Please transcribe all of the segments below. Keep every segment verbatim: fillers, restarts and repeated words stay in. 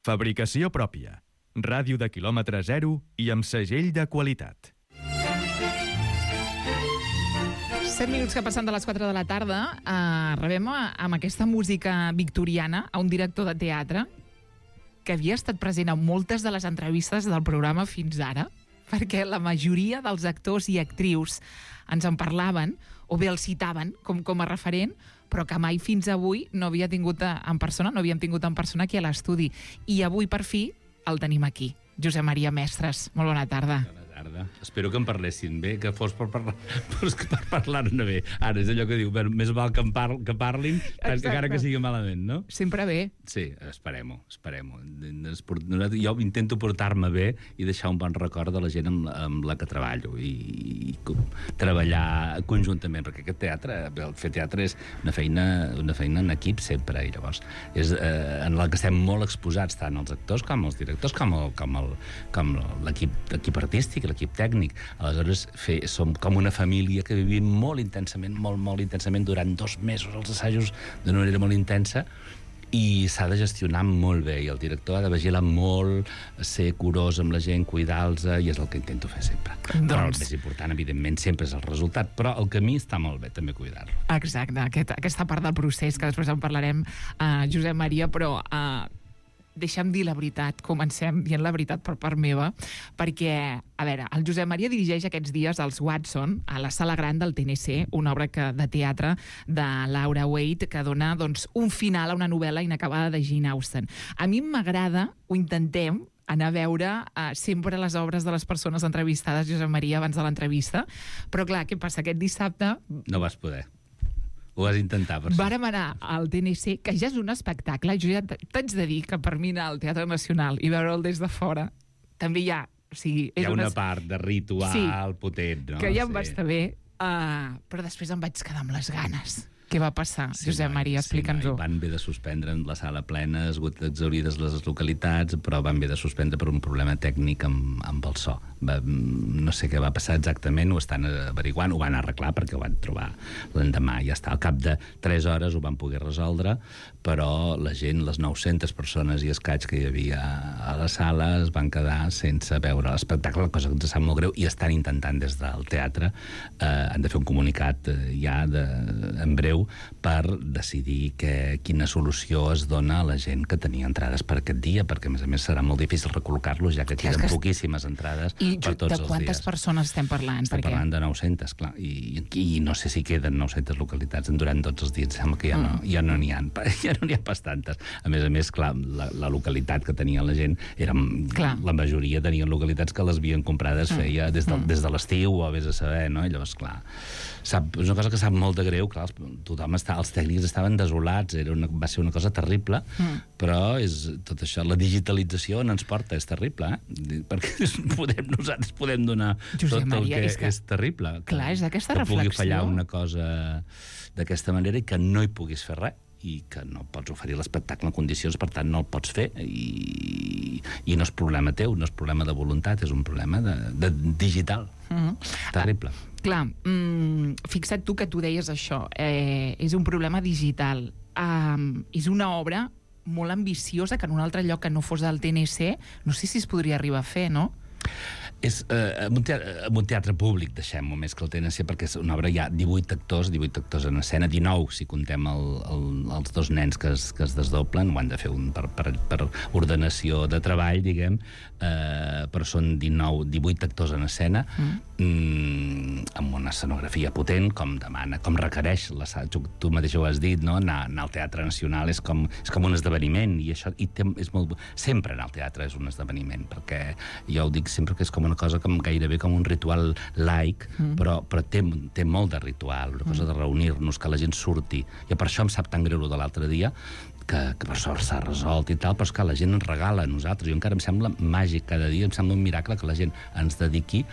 Fabricació pròpia. Ràdio de quilòmetre zero i amb segell de qualitat. set minuts que passen de les quatre de la tarda, eh, rebem amb aquesta música victoriana a un director de teatre que havia estat present en moltes de les entrevistes del programa fins ara, perquè la majoria dels actors i actrius ens en parlaven, o bé el citaven com, com a referent, però que mai fins avui no havia tingut en persona, no havíem tingut en persona aquí a l'estudi. I avui, per fi, el tenim aquí. Josep Maria Mestres, molt bona tarda. Bona tarda. Espero que em parlessin bé, que fos per parlar, per parlar-ne bé. Ara, és allò que diu, més val que, em par que parlin, encara que sigui malament, no? Sempre bé. Sí, esperem-ho, esperem-ho. Jo intento portar-me bé i deixar un bon record de la gent amb, amb la que treballo i, i treballar conjuntament, perquè aquest teatre, fer teatre és una feina, una feina en equip sempre, i llavors és eh, en la que estem molt exposats, tant els actors com els directors, com el, com el, com l'equip artístic, l'equip tècnic. Aleshores, fer, som com una família que vivim molt intensament, molt, molt intensament, durant dos mesos els assajos d'una manera molt intensa, i s'ha de gestionar molt bé, i el director ha de vigilar molt, ser curós amb la gent, cuidar-los, i és el que intento fer sempre. Doncs... Però el més important, evidentment, sempre és el resultat, però el camí està molt bé, també cuidar-lo. Exacte, aquest, aquesta part del procés, que després en parlarem, uh, Josep Maria, però... Uh, deixa'm dir la veritat, comencem dient la veritat per part meva, perquè, a veure, el Josep Maria dirigeix aquests dies els Watson a la Sala Gran del T N C, una obra que, de teatre de Laura Waite, que dona doncs, un final a una novel·la inacabada de Jane Austen. A mi m'agrada, ho intentem, anar a veure uh, sempre les obres de les persones entrevistades, Josep Maria, abans de l'entrevista, però clar, què passa? Aquest dissabte... No vas poder. Ho vas intentar, per Vàrem anar al T N C, que ja és un espectacle. Jo ja t'haig de dir que per mi anar al Teatre Nacional i veure'l des de fora també hi ha... O sigui, és hi ha una unes... part de ritual sí, potent, no? Que ja em sí. va estar bé, uh, però després em vaig quedar amb les ganes. Què va passar, sí, Josep Maria? Explica'ns-ho. Sí, van bé de suspendre en la sala plena, exaurides les localitats, però van bé de suspendre per un problema tècnic amb, amb el so. Va, no sé què va passar exactament, ho estan averiguant, ho van arreglar perquè ho van trobar l'endemà, ja està. Al cap de tres hores ho van poder resoldre, però la gent, les nou-centes persones i escaig que hi havia a la sala es van quedar sense veure l'espectacle, cosa que ens sap molt greu, i estan intentant des del teatre, eh, han de fer un comunicat eh, ja de, en breu per decidir que, quina solució es dona a la gent que tenia entrades per aquest dia, perquè a més a més serà molt difícil recol·locar-los, ja que queden que... poquíssimes entrades I per tots els dies. I de quantes persones estem parlant? Estem perquè... parlant de nou-centes, clar, i, i no sé si queden nou-centes localitats durant tots els dies, sembla que ja no n'hi mm. no ha, ja no n'hi ha pas tantes. A més a més, clar, la, la localitat que tenia la gent, era, la majoria tenien localitats que les havien comprades mm. feia des de, mm. des de l'estiu, o vés a saber, no? I llavors, clar, sap, és una cosa que sap molt de greu, clar, tothom està, els tècnics estaven desolats, era una, va ser una cosa terrible, mm. però és tot això, la digitalització on ens porta, és terrible, eh? Perquè podem, nosaltres podem donar Josep tot Maria, el que és, que, és terrible. Que, clar, és d'aquesta reflexió. Que pugui fallar una cosa d'aquesta manera i que no hi puguis fer res, i que no pots oferir l'espectacle en condicions, per tant no el pots fer, i, i no és problema teu, no és problema de voluntat, és un problema de, de digital. Mm-hmm. Terrible. Ah, clar, mm, fixa't tu que tu deies això, eh, és un problema digital. Um, és una obra molt ambiciosa que en un altre lloc que no fos del T N C, no sé si es podria arribar a fer, no? És eh, un, teatre, un teatre públic, deixem-ho, més que el T N C, perquè és una obra, hi ha divuit actors, divuit actors en escena, dinou si contem el, el, els dos nens que es, que es desdoblen, ho han de fer un, per, per, per ordenació de treball, diguem, eh, però són dinou, divuit actors en escena, mm. Mm, amb una escenografia potent, com demana, com requereix, la, tu mateix ho has dit, no? anar, anar al Teatre Nacional és com, és com un esdeveniment, i això i té, és molt, sempre anar al teatre és un esdeveniment, perquè jo ho dic sempre que és com una cosa com gairebé com un ritual laic, mm. però, però té, té molt de ritual, una cosa mm. de reunir-nos, que la gent surti, i per això em sap tan greu de l'altre dia, que, que per sort s'ha resolt i tal, però és que la gent ens regala a nosaltres, jo encara em sembla màgic cada dia, em sembla un miracle que la gent ens dediqui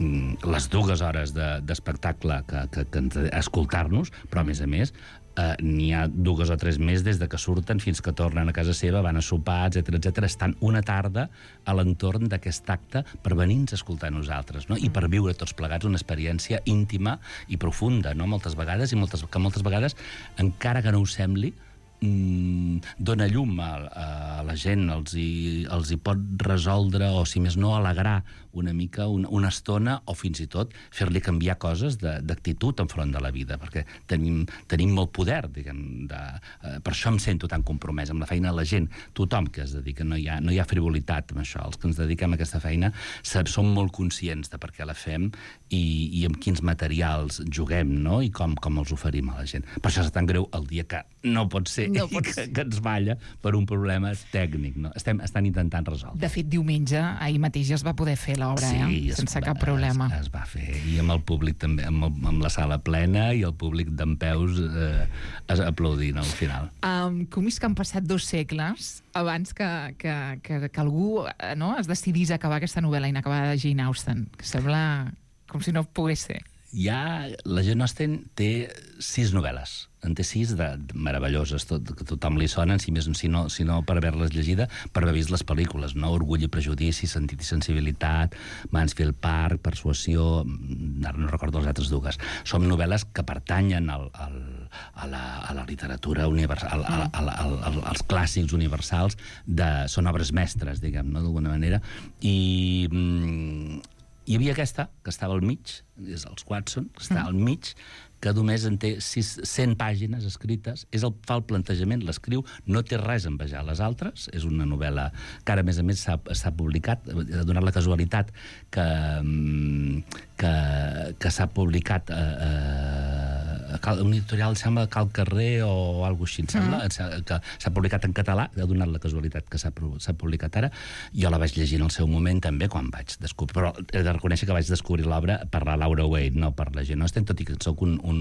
les dues hores d'espectacle de, que, que, que ens, a escoltar-nos, però a més a més eh, n'hi ha dues o tres més des de que surten fins que tornen a casa seva, van a sopar, etcètera, etcètera. Estan una tarda a l'entorn d'aquest acte per venir-nos a escoltar a nosaltres, no? I per viure tots plegats una experiència íntima i profunda, no? Moltes vegades, i moltes, que moltes vegades, encara que no ho sembli, mm, dona llum a, a la gent, els hi, els hi pot resoldre, o si més no, alegrar una mica, una, una estona, o fins i tot fer-li canviar coses d'actitud enfront de la vida, perquè tenim, tenim molt poder, diguem, de, eh, per això em sento tan compromès amb la feina de la gent. Tothom que es dedica, no hi ha, no hi ha frivolitat amb això. Els que ens dediquem a aquesta feina som molt conscients de per què la fem i, i amb quins materials juguem, no? I com, com els oferim a la gent. Per això és tan greu el dia que no pot ser no pot que, que ens balla per un problema tècnic, no? Estem, estan intentant resoldre. De fet, diumenge, ahir mateix ja es va poder fer l'obra, sí, eh? Sense va, cap problema. Es, es va fer, i amb el públic també, amb, el, amb la sala plena i el públic dempeus eh, aplaudint al final. Um, com és que han passat dos segles abans que, que, que, que algú no, es decidís a acabar aquesta novel·la inacabada de Jane Austen, que sembla com si no pogués ser. Ja, la Jane Austen té sis novel·les. En té sis de, de meravelloses, tot, que tothom li sonen, si, més, si, no, si no per haver-les llegida, per haver vist les pel·lícules, no? Orgull i prejudici, Sentit i sensibilitat, Mansfield Park, Persuasió, ara no recordo les altres dues. Són novel·les que pertanyen al, al, a, la, a la literatura universal, al, al, al, al, als clàssics universals, de, són obres mestres, diguem, no? D'alguna manera, i... Mm, hi havia aquesta, que estava al mig, és els Watson, que està al mig, que només en té sis, cent pàgines escrites, és el, fa el plantejament, l'escriu, no té res a envejar les altres, és una novel·la que ara, a més a més, s'ha publicat, ha donat la casualitat que, que, que s'ha publicat a, a un editorial, sembla, Cal Carrer o alguna cosa així, em sembla, mm. que s'ha publicat en català, ha donat la casualitat que s'ha publicat ara. Jo la vaig llegir en el seu moment també, quan vaig descobrir, però he de reconèixer que vaig descobrir l'obra per la Laura Wade, no per la Jane Austen, tot i que soc un, un,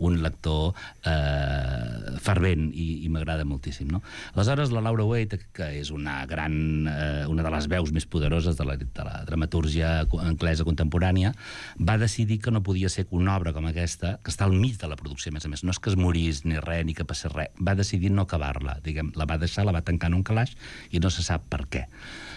un lector eh, fervent i, i m'agrada moltíssim, no? Aleshores, la Laura Wade, que és una gran, eh, una de les veus més poderoses de la, de la dramatúrgia anglesa contemporània, va decidir que no podia ser que una obra com aquesta, que està al mig de la producció, a més a més, no és que es morís ni res, ni que passés res, va decidir no acabar-la, diguem, la va deixar, la va tancar en un calaix i no se sap per què.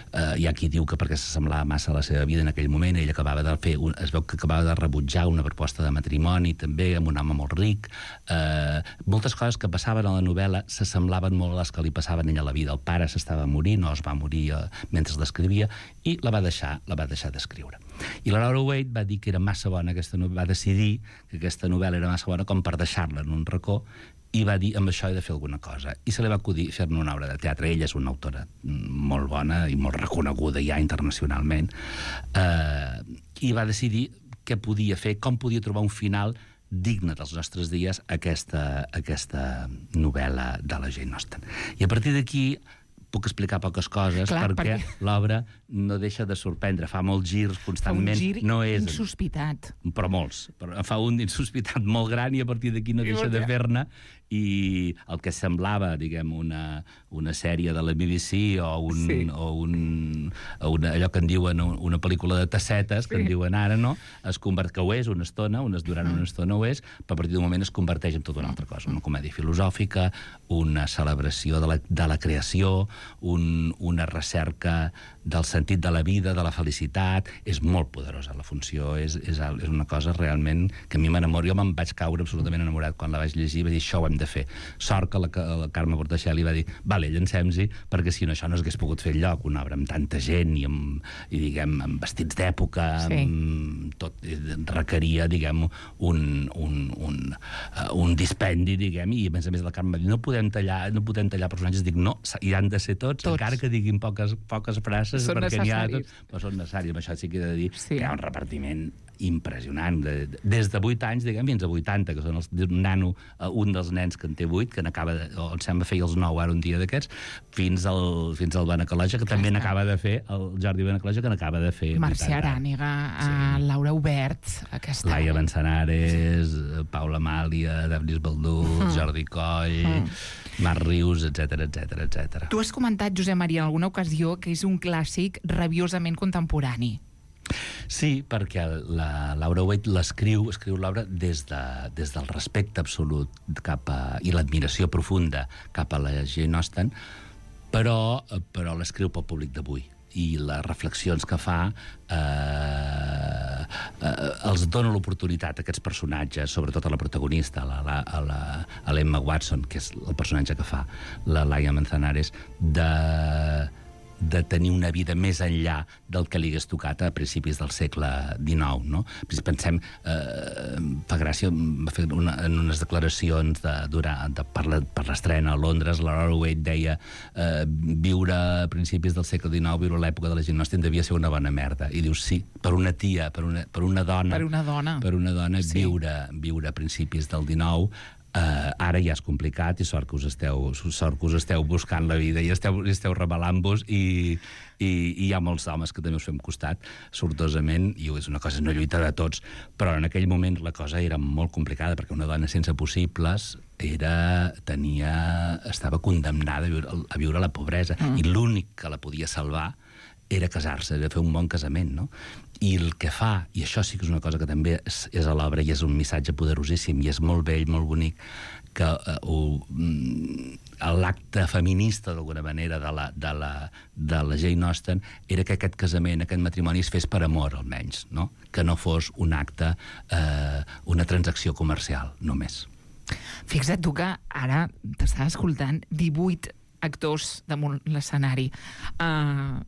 Uh, hi ha qui diu que perquè s'assemblava massa a la seva vida en aquell moment, ell acabava de fer, un, es veu que acabava de rebutjar una proposta de matrimoni també, amb un home molt ric. Uh, moltes coses que passaven a la novel·la s'assemblaven molt a les que li passaven a ella a la vida. El pare s'estava morint, no es va morir uh, mentre l'escrivia, i la va deixar, la va deixar d'escriure. I la Laura Wade va dir que era massa bona aquesta novel·la, va decidir que aquesta novel·la era massa bona com per deixar-la en un racó, i va dir, amb això he de fer alguna cosa. I se li va acudir fer-ne una obra de teatre. Ella és una autora molt bona i molt reconeguda ja internacionalment. Eh, I va decidir què podia fer, com podia trobar un final digne dels nostres dies a aquesta, aquesta novel·la de la Jane Austen. I a partir d'aquí puc explicar poques coses. Clar, perquè, perquè l'obra no deixa de sorprendre, fa molts girs constantment. Fa un gir no és, insospitat. Però molts. Però fa un insospitat molt gran i a partir d'aquí no deixa de fer-ne, i el que semblava, diguem, una, una sèrie de la B B C o, un, sí. o, un, o una, allò que en diuen una pel·lícula de tassetes, que sí. en diuen ara, no? Es convert, que ho és una estona, unes durant una estona ho és, però a partir d'un moment es converteix en tota una altra cosa. Una comèdia filosòfica, una celebració de la, de la creació, un, una recerca del sentit de la vida, de la felicitat. És molt poderosa la funció, és, és, és una cosa realment que a mi m'enamora. Jo me'n vaig caure absolutament enamorat quan la vaig llegir, va dir, això ho hem de fer. Sort que la, la Carme Portacelli va dir, vale, llancem-s'hi, perquè si no això no s'hagués pogut fer enlloc, una obra amb tanta gent i, amb, i diguem, amb vestits d'època, sí. tot requeria, diguem, un, un, un, uh, un dispendi, diguem, i a més a més la Carme va dir, no podem tallar, no podem tallar personatges. Dic, no, hi han de ser tots, tots. Encara que diguin poques, poques frases, són perquè n'hi ha necessaris. tots, però són necessaris. Amb això sí que he de dir sí. que hi ha un repartiment impressionant, de, de, des de vuit anys, diguem, fins a vuitanta, que són els, un nano, un dels nens que en té vuit, que n'acaba de, o em sembla feia els nou ara un dia d'aquests, fins al, fins al Benacoloja, que Clar, també n'acaba de fer, el Jordi Benacoloja, que n'acaba de fer... Marcia Arànega, sí. Laura Hubert, aquesta... Laia Manzanares, Paula Amàlia, Daphnis Baldú, mm. Jordi Coll... Mm. Marc Rius, etcètera, etcètera, etcètera. Tu has comentat, Josep Maria, en alguna ocasió que és un clàssic rabiosament contemporani. Sí, perquè la Laura Wade l'escriu, escriu l'obra des, de, des del respecte absolut cap a, i l'admiració profunda cap a la Jane Austen, però, però l'escriu pel públic d'avui. I les reflexions que fa eh, eh, els dona l'oportunitat a aquests personatges, sobretot a la protagonista, a la, a la, a l'Emma Watson, que és el personatge que fa la Laia Manzanares, de de tenir una vida més enllà del que li hagués tocat a principis del segle dinou, no? Pensem, eh, fa gràcia, va fer una, en unes declaracions de, durant, de, per, la, per l'estrena a Londres, la Laura Waite deia eh, viure a principis del segle dinou, viure a l'època de la Jane Austen devia ser una bona merda. I dius, sí, per una tia, per una, per una dona... Per una dona. Per una dona, sí. viure, viure a principis del dinou... Uh, ara ja és complicat i sort que us esteu, sort que us esteu buscant la vida i esteu, esteu rebel·lant-vos i, i, i hi ha molts homes que també us fem costat sortosament, i és una cosa, una lluita de tots, però en aquell moment la cosa era molt complicada perquè una dona sense possibles era, tenia, estava condemnada a viure, a viure a la pobresa mm. i l'únic que la podia salvar era casar-se, era fer un bon casament, no? I el que fa, i això sí que és una cosa que també és, és a l'obra i és un missatge poderosíssim i és molt bell, molt bonic, que uh, l'acte feminista, d'alguna manera, de la, de, la, de la Jane Austen era que aquest casament, aquest matrimoni es fes per amor, almenys, no? Que no fos un acte, uh, una transacció comercial, només. Fixa't tu que ara t'estava escoltant divuit actors damunt l'escenari. Uh,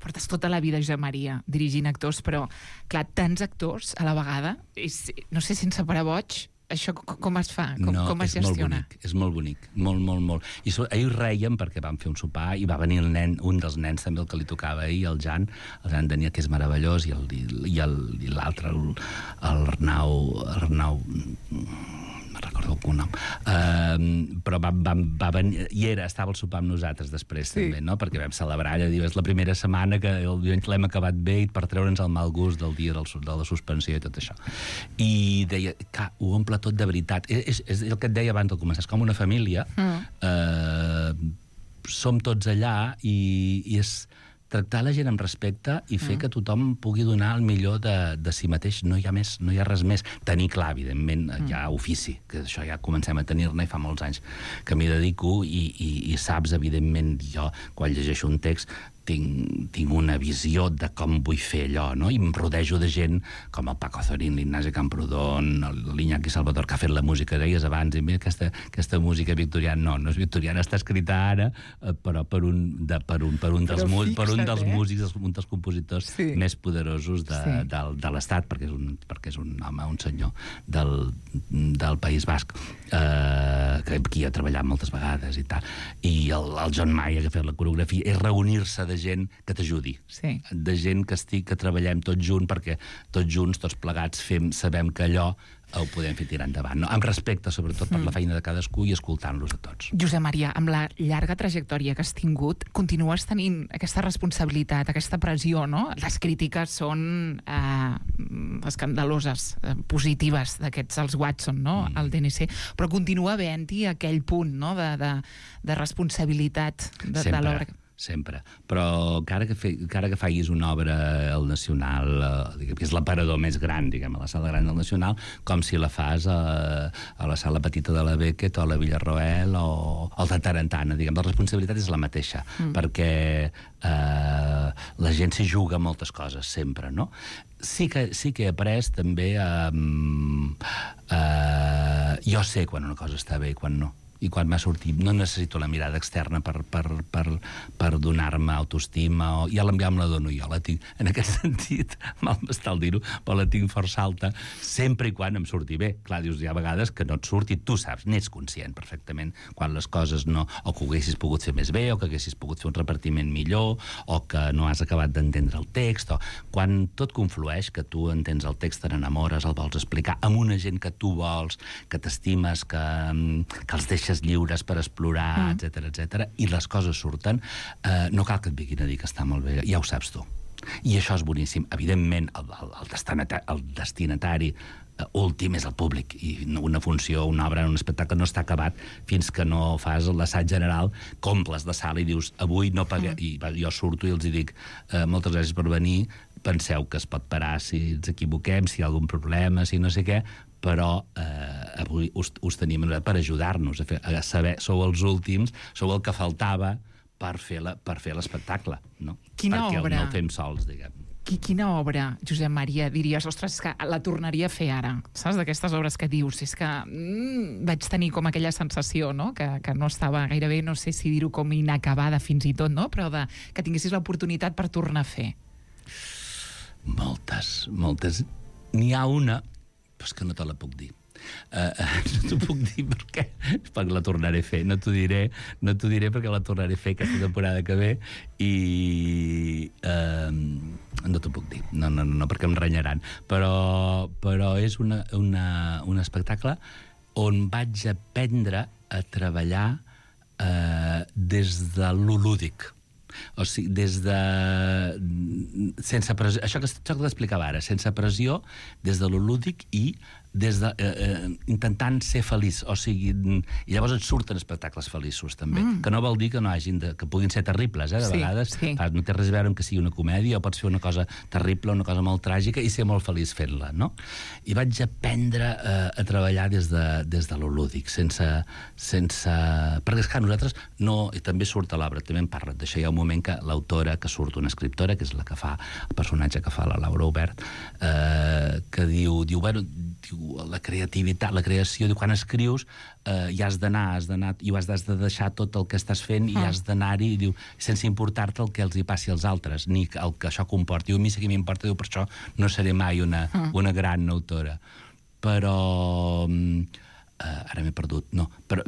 portes tota la vida, Josep Maria, dirigint actors, però, clar, tants actors a la vegada, és, no sé, sense parar boig, això com es fa? Com, no, com es és gestiona? Molt bonic, és molt bonic, molt, molt, molt. I so, ahir reiem perquè vam fer un sopar i va venir el nen, un dels nens també el que li tocava ahir, el Jan, el Jan Daniel, que és meravellós, i l'altre, l'Arnau, Arnau... no recordo el cognom, uh, però va, va, va venir, i era, estava al sopar amb nosaltres després, sí. també, no? Perquè vam celebrar, allà, diu, és la primera setmana que el divendres l'hem acabat bé i per treure'ns el mal gust del dia del, de la suspensió i tot això. I deia, que ho omple tot de veritat. És, és el que et deia abans de començar, és com una família, mm. uh, som tots allà i, i és tractar la gent amb respecte i fer mm. que tothom pugui donar el millor de, de si mateix. No hi ha més, no hi ha res més. Tenir clar, evidentment, mm. hi ha ofici, que això ja comencem a tenir-ne i fa molts anys que m'hi dedico i, i, i saps, evidentment, jo, quan llegeixo un text, tinc, tinc una visió de com vull fer allò, no? I em rodejo de gent com el Paco Zorín, l'Ignasi Camprodon, l'Iñaki Salvador, que ha fet la música, deies abans, i mira, aquesta, aquesta música victoriana, no, no és victoriana, està escrita ara, però per un, de, per un, per un, dels, fixa't, per un dels eh? músics, un dels compositors sí. més poderosos de, sí. de, de l'Estat, perquè és, un, perquè és un home, un senyor del, del País Basc, eh, que aquí ha treballat moltes vegades i tal. I el, el John Mayer, que ha fet la coreografia, és reunir-se de gent que t'ajudi, sí. de gent que estic, que treballem tots junts, perquè tots junts, tots plegats, fem, sabem que allò ho podem fer tirar endavant, no? Amb respecte, sobretot, per mm. la feina de cadascú i escoltant-los a tots. Josep Maria, amb la llarga trajectòria que has tingut, continues tenint aquesta responsabilitat, aquesta pressió, no? Les crítiques són eh, escandaloses, eh, positives, d'aquests, els Watson, no? Mm. El D N C, però continua havent-hi aquell punt, no?, de, de, de responsabilitat de, de l'obra. Sempre, però encara que, fe, encara que facis una obra al Nacional, eh, que és l'aparador més gran, diguem, a la sala gran del Nacional, com si la fas a, a la sala petita de la Beckett o a la Villarroel o al de Tarantana, diguem, la responsabilitat és la mateixa, mm. perquè eh, la gent s'hi juga moltes coses, sempre, no? Sí que, sí que he après també a... Eh, eh, jo sé quan una cosa està bé i quan no. I quan m'ha sortit, no necessito la mirada externa per, per, per, per donar-me autoestima, o ja l'enviar me la dono jo, la tinc, en aquest sentit, mal m'està el dir-ho, però la tinc força alta, sempre i quan em surti bé. Clar, dius, hi ha vegades que no et surti, tu saps, n'ets conscient perfectament, quan les coses no, o que ho haguessis pogut fer més bé, o que haguessis pogut fer un repartiment millor, o que no has acabat d'entendre el text, o quan tot conflueix, que tu entens el text, te n'enamores, el vols explicar amb una gent que tu vols, que t'estimes, que, que els deixes lliures per explorar, mm. etcètera, etcètera, i les coses surten, eh, no cal que et vinguin a dir que està molt bé, ja ho saps tu. I això és boníssim. Evidentment, el, el, el, destinatari, el destinatari eh, últim és el públic, i una funció, una obra, un espectacle no està acabat fins que no fas l'assaig general, comples de sala i dius, avui no paguem, mm. i jo surto i els dic, eh, moltes gràcies per venir, penseu que es pot parar si ens equivoquem, si hi ha algun problema, si no sé què, però eh, avui us, us tenim per ajudar-nos a, fer, a saber, sou els últims, sou el que faltava per fer la, per fer l'espectacle, no? Quina perquè obra? no el fem sols, diguem. Qui, quina obra, Josep Maria, diries, ostres, és que la tornaria a fer ara? Saps, d'aquestes obres que dius? És que mm, vaig tenir com aquella sensació, no?, que, que no estava gairebé, no sé si dir-ho com inacabada fins i tot, no?, però de, que tinguessis l'oportunitat per tornar a fer. Moltes, moltes. N'hi ha una, però és que no te la puc dir. Uh, uh, no t'ho puc dir perquè, perquè la tornaré a fer. No t'ho diré, no t'ho diré perquè la tornaré a fer aquesta temporada que ve i uh, no t'ho puc dir. No, no, no, perquè em renyaran. Però, però és una, una, un espectacle on vaig aprendre a treballar uh, des de lo lúdic. O sigui, des de... sense pressió, això que, això que t'explicava ara, sense pressió, des de lo lúdic i des de, eh, eh, intentant ser feliç, o sigui, i llavors et surten espectacles feliços, també, mm. que no vol dir que no hagin de, que puguin ser terribles, eh, de sí, vegades, sí. Fa, no té res a veure amb que sigui una comèdia, o pots fer una cosa terrible, una cosa molt tràgica, i ser molt feliç fent-la, no? I vaig aprendre eh, a treballar des de, des de lo lúdic, sense, sense... perquè és que nosaltres no... i també surt a l'obra, també en parla d'això, hi ha un moment que l'autora, que surt una escriptora, que és la que fa, el personatge que fa la Laura Obert, eh, que diu, diu, bueno, diu, la creativitat, la creació, diu, quan escrius eh, hi has d'anar, has d'anar, i has de deixar tot el que estàs fent i ah. has d'anar-hi, diu, sense importar-te el que els hi passi als altres, ni el que això comporti. Diu, a mi sí que m'importa, diu, per això no seré mai una, ah. una gran autora. Però... Uh, ara m'he perdut, no. Però,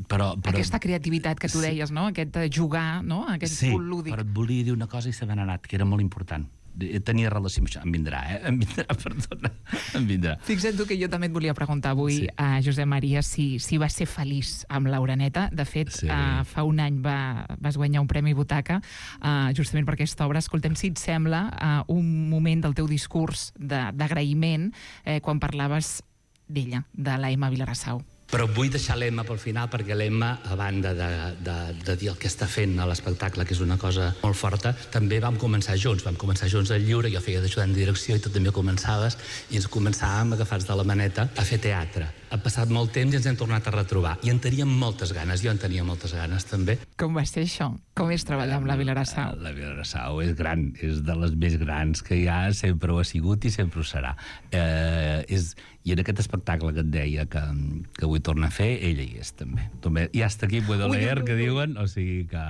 però, però... Aquesta creativitat que tu sí. deies, no? Aquest jugar, no? Aquest sí, punt lúdic. però et volia dir una cosa i se m'ha anat, que era molt important. Tenia relació amb això. Em vindrà, eh? Em vindrà, perdona. Em vindrà. Fixa't tu que jo també et volia preguntar avui sí. a Josep Maria si, si vas ser feliç amb l'Oreneta. De fet, sí. uh, fa un any va, vas guanyar un Premi Butaca uh, justament per aquesta obra. Escoltem, si et sembla, uh, un moment del teu discurs d'agraïment eh, quan parlaves d'ella, de la Emma Vilarassau. Però vull deixar l'Emma pel final, perquè l'Emma, a banda de, de, de dir el que està fent a l'espectacle, que és una cosa molt forta, també vam començar junts. Vam començar junts al Lliure, jo feia d'ajudant de direcció i tu també començaves, i ens començàvem agafats de la maneta a fer teatre. Ha passat molt temps i ens hem tornat a retrobar. I en teníem moltes ganes, jo en tenia moltes ganes també. Com va ser això? Com és treballar amb la Vilarassau? La Vilarassau és gran, és de les més grans que hi ha, sempre ho ha sigut i sempre ho serà. Eh, és, I en aquest espectacle que et deia que, que vull tornar a fer, ella hi és també. també hi ha aquest equip Baudelaire que diuen, o sigui que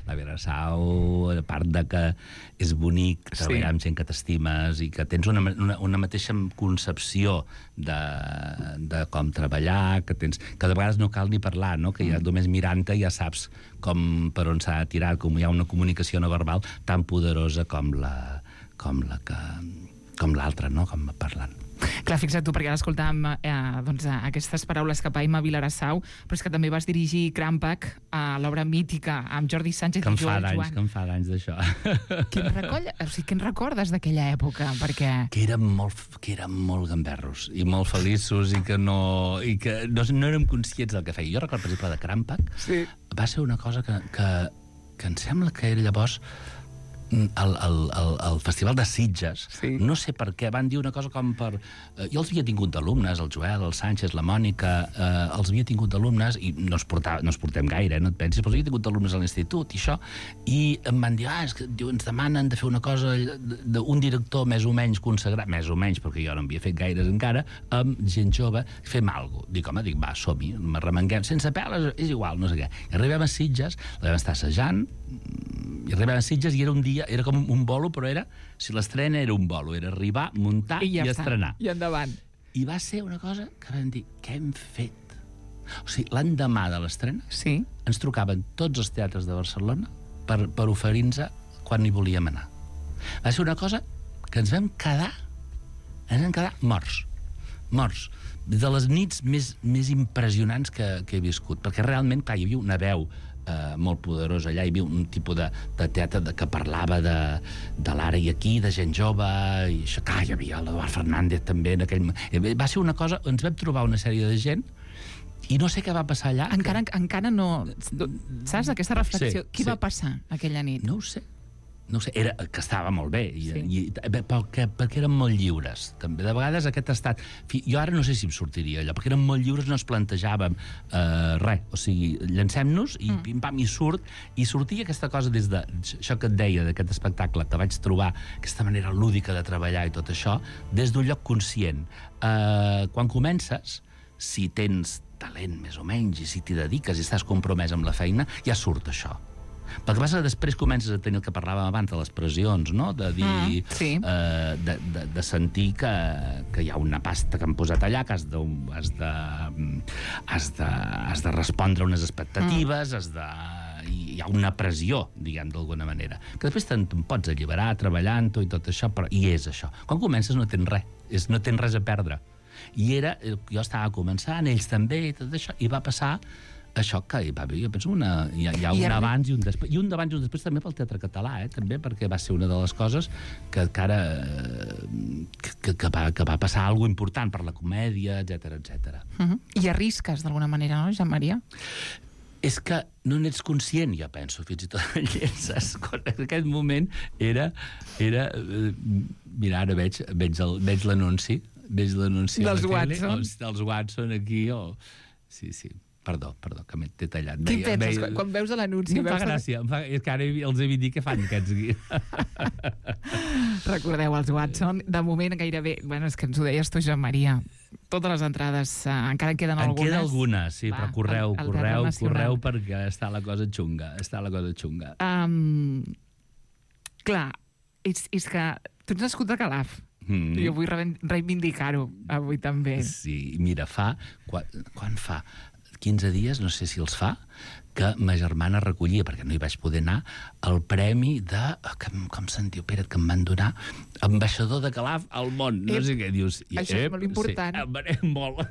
la Vilarassau, a part de que és bonic treballar sí. amb gent que t'estimes i que tens una, una, una mateixa concepció de, de com treballar, que tens que de vegades no cal ni parlar, no? Que ja només mirant-te ja saps com per on s'ha de tirar, com hi ha una comunicació no verbal tan poderosa com la com la que com l'altra, no? Com parlant. Clar, fixa't tu, perquè ara escoltàvem eh, doncs, aquestes paraules cap a Emma Vilarassau, però és que també vas dirigir Crampac a l'obra mítica amb Jordi Sánchez que i Joel d'anys, Joan. que em fa d'anys d'això. Què en recoll? O sigui, què en recordes d'aquella època? Perquè... Que érem molt, que érem molt gamberros i molt feliços i que no, i que no, no érem conscients del que feia. Jo recordo, per exemple, de Crampac, sí. va ser una cosa que, que, que em sembla que era llavors al, al, al, al Festival de Sitges, sí. no sé per què, van dir una cosa com per... Eh, jo els havia tingut d'alumnes, el Joel, el Sánchez, la Mònica, eh, els havia tingut d'alumnes, i no es, portava, no es portem gaire, eh, no et pensis, però els havia tingut d'alumnes a l'institut, i això, i em van dir, ah, és que diu, ens demanen de fer una cosa d'un director més o menys consagrat, més o menys, perquè jo no havia fet gaires encara, amb gent jove, fem alguna cosa. Dic, home, dic, va, som-hi, m'arremenguem, sense peles, és igual, no sé què. I arribem a Sitges, la vam estar assajant, i arribem a Sitges i era un dia, era com un bolo, però era, si l'estrena era un bolo, era arribar, muntar i, ja i estrenar. I endavant. I va ser una cosa que vam dir, què hem fet? O sigui, l'endemà de l'estrena sí. ens trucaven tots els teatres de Barcelona per, per oferir-nos quan hi volíem anar. Va ser una cosa que ens vam quedar, ens vam quedar morts, morts. De les nits més, més impressionants que, que he viscut, perquè realment, clar, hi havia una veu eh, molt poderosa allà, hi havia un tipus de, de teatre de, que parlava de, de l'ara i aquí, de gent jove, i això, clar, hi havia l'Eduard Fernández també en aquell... Va ser una cosa, ens vam trobar una sèrie de gent i no sé què va passar allà. Encara, que... encara no... Saps, aquesta reflexió? Sí, Qui sí. va passar aquella nit? No ho sé. no ho sé, era, que estava molt bé, i, Sí. i, perquè, perquè eren molt lliures. També de vegades aquest estat... Fi, jo ara no sé si em sortiria allò, perquè eren molt lliures, no ens plantejàvem eh, res. O sigui, llancem-nos i mm. pim-pam, i surt, i sortia aquesta cosa des de... Això que et deia, d'aquest espectacle, que vaig trobar aquesta manera lúdica de treballar i tot això, des d'un lloc conscient. Eh, quan comences, si tens talent més o menys, i si t'hi dediques i estàs compromès amb la feina, ja surt això. Pel que passa que després comences a tenir el que parlàvem abans de les pressions, no? De dir... Mm, sí. eh, de, de, de sentir que, que hi ha una pasta que han posat allà, que has de, has de, has de, has de respondre a unes expectatives, mm. has de... hi ha una pressió, diguem, d'alguna manera. Que després te'n te pots alliberar treballant-ho i tot això, però i és això. Quan comences no tens res, és, no tens res a perdre. I era... Jo estava començant, ells també, i tot això, i va passar això que hi va haver, jo penso, una, hi ha, hi ha un I abans i un després. I un d'abans i un després també pel teatre català, eh, també, perquè va ser una de les coses que encara que, que, va, que va passar alguna cosa important per la comèdia, etcètera, etcètera. Uh-huh. I arrisques, d'alguna manera, no, Joan Maria? És que no n'ets conscient, jo penso, fins i tot llences. En aquest moment era... era mira, ara veig, veig, el, veig l'anunci, veig l'anunci dels a la tele, Watson. els, dels Watson aquí, o... Sí, sí. Perdó, perdó, que m'he tallat. Què Veia, penses? veia... Quan veus l'anunci... Em fa veus gràcia, em fa... és que ara els he dit dir què fan aquests aquí. Recordeu, els Watson, de moment gairebé... Bueno, és que ens ho deies tu, Joan Maria. Totes les entrades, eh, encara en queden en algunes. En queda algunes, sí, Va, però correu, el, el correu, correu, perquè està la cosa xunga, està la cosa xunga. Um, clar, és, és que tu ets nascut de Calaf. Mm. Jo vull reivindicar-ho avui també. Sí, mira, fa... Quan, quan fa? quinze dies, no sé si els fa, que ma germana recollia, perquè no hi vaig poder anar, el premi de... Com, com se'n diu, Pere, que em van donar ambaixador de Calaf al món. No ep, sé què dius. I, això ep, és molt important. Sí, em molt.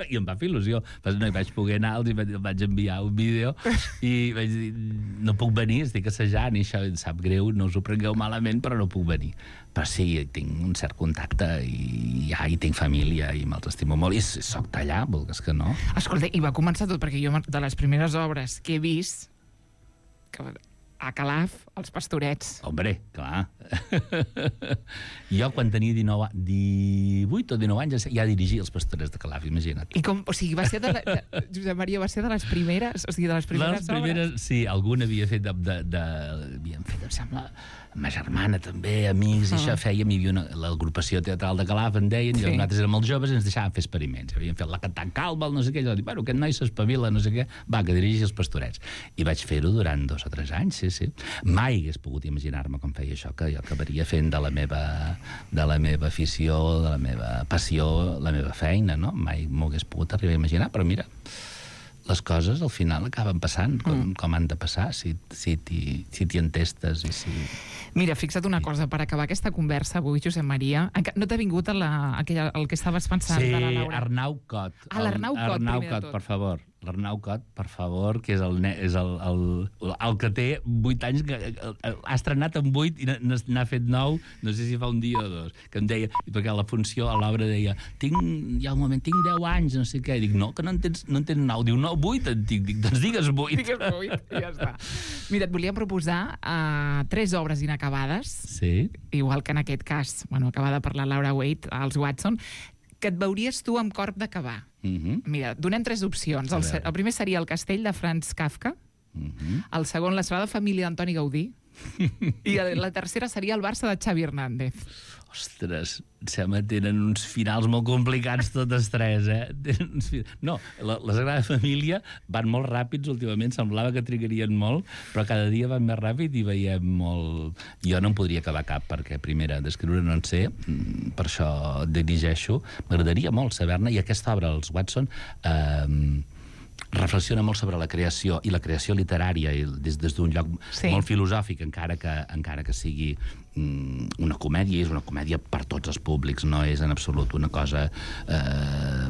I em va fer il·lusió. Però no hi vaig poder anar, els vaig enviar un vídeo i vaig dir, no puc venir, estic assajant, i això em sap greu, no us ho prengueu malament, però no puc venir. Però sí, tinc un cert contacte i ja hi tinc família i me'ls estimo molt. I soc d'allà, vulgues que no. Escolta, i va començar tot, perquè jo de les primeres obres que he vist, que a Calaf, els Pastorets. Hombre, clar. Jo, quan tenia dinou, divuit o dinou anys, ja dirigia els Pastorets de Calaf, imagina't. I com, o sigui, va ser de la, de, Josep Maria, va ser de les primeres, o sigui, de les primeres, les primeres obres? Sí, alguna havia fet de... de, de havien fet, em sembla, ma germana també, amics, i uh -huh. això fèiem, hi havia una, l'agrupació teatral de Calaf, en deien, sí. I nosaltres érem els joves i ens deixàvem fer experiments. Havien fet la Cantant Calma, no sé què, i jo dic, bueno, aquest noi s'espavila, no sé què, va, que dirigeixi els Pastorets. I vaig fer-ho durant dos o tres anys, sí, sí. Mai hagués pogut imaginar-me com feia això, que jo acabaria fent de la meva, de la meva afició, de la meva passió, la meva feina, no? Mai m'ho hagués pogut arribar a imaginar, però mira, les coses al final acaben passant com, mm. com han de passar, si, si t'hi si entestes i si... Mira, fixa't una cosa, per acabar aquesta conversa avui, Josep Maria, no t'ha vingut a la, aquella, el que estaves pensant sí, de la Laura? Arnau Cot. Ah, l'Arnau Cot, Arnau primer Cot, de tot. per favor. L'Arnau Cot, per favor, que és el, és el, el, el que té vuit anys, que ha estrenat amb vuit i n'ha fet nou, no sé si fa un dia o dos, que em deia, perquè la funció a l'obra deia, tinc, hi ha un moment, tinc deu anys, no sé què, i dic, no, que no en tens, no en tens nou, diu, no, vuit en tinc, dic, doncs digues vuit. Digues vuit, i ja està. Mira, et volíem proposar uh, tres obres inacabades, sí. Igual que en aquest cas, bueno, acabada per la Laura Waite, als Watson, que et veuries tu amb corp d'acabar. Uh-huh. Mira, donem tres opcions. El, el primer seria El castell de Franz Kafka, uh-huh. El segon, La Sagrada Família d'Antoni Gaudí, i la tercera seria El Barça de Xavi Hernández. Ostres, sembla que tenen uns finals molt complicats totes tres, eh? Tenen uns finals... No, la, la Sagrada Família van molt ràpids últimament, semblava que trigarien molt, però cada dia van més ràpid i veiem molt... Jo no en podria acabar cap, perquè primera, d'escriure no en sé, per això dirigeixo. M'agradaria molt saber-ne, i aquesta obra, els Watson, eh, reflexiona molt sobre la creació i la creació literària i des, des d'un lloc sí. molt filosòfic, encara que, encara que sigui mm, una comèdia, és una comèdia per tots els públics, no és en absolut una cosa eh,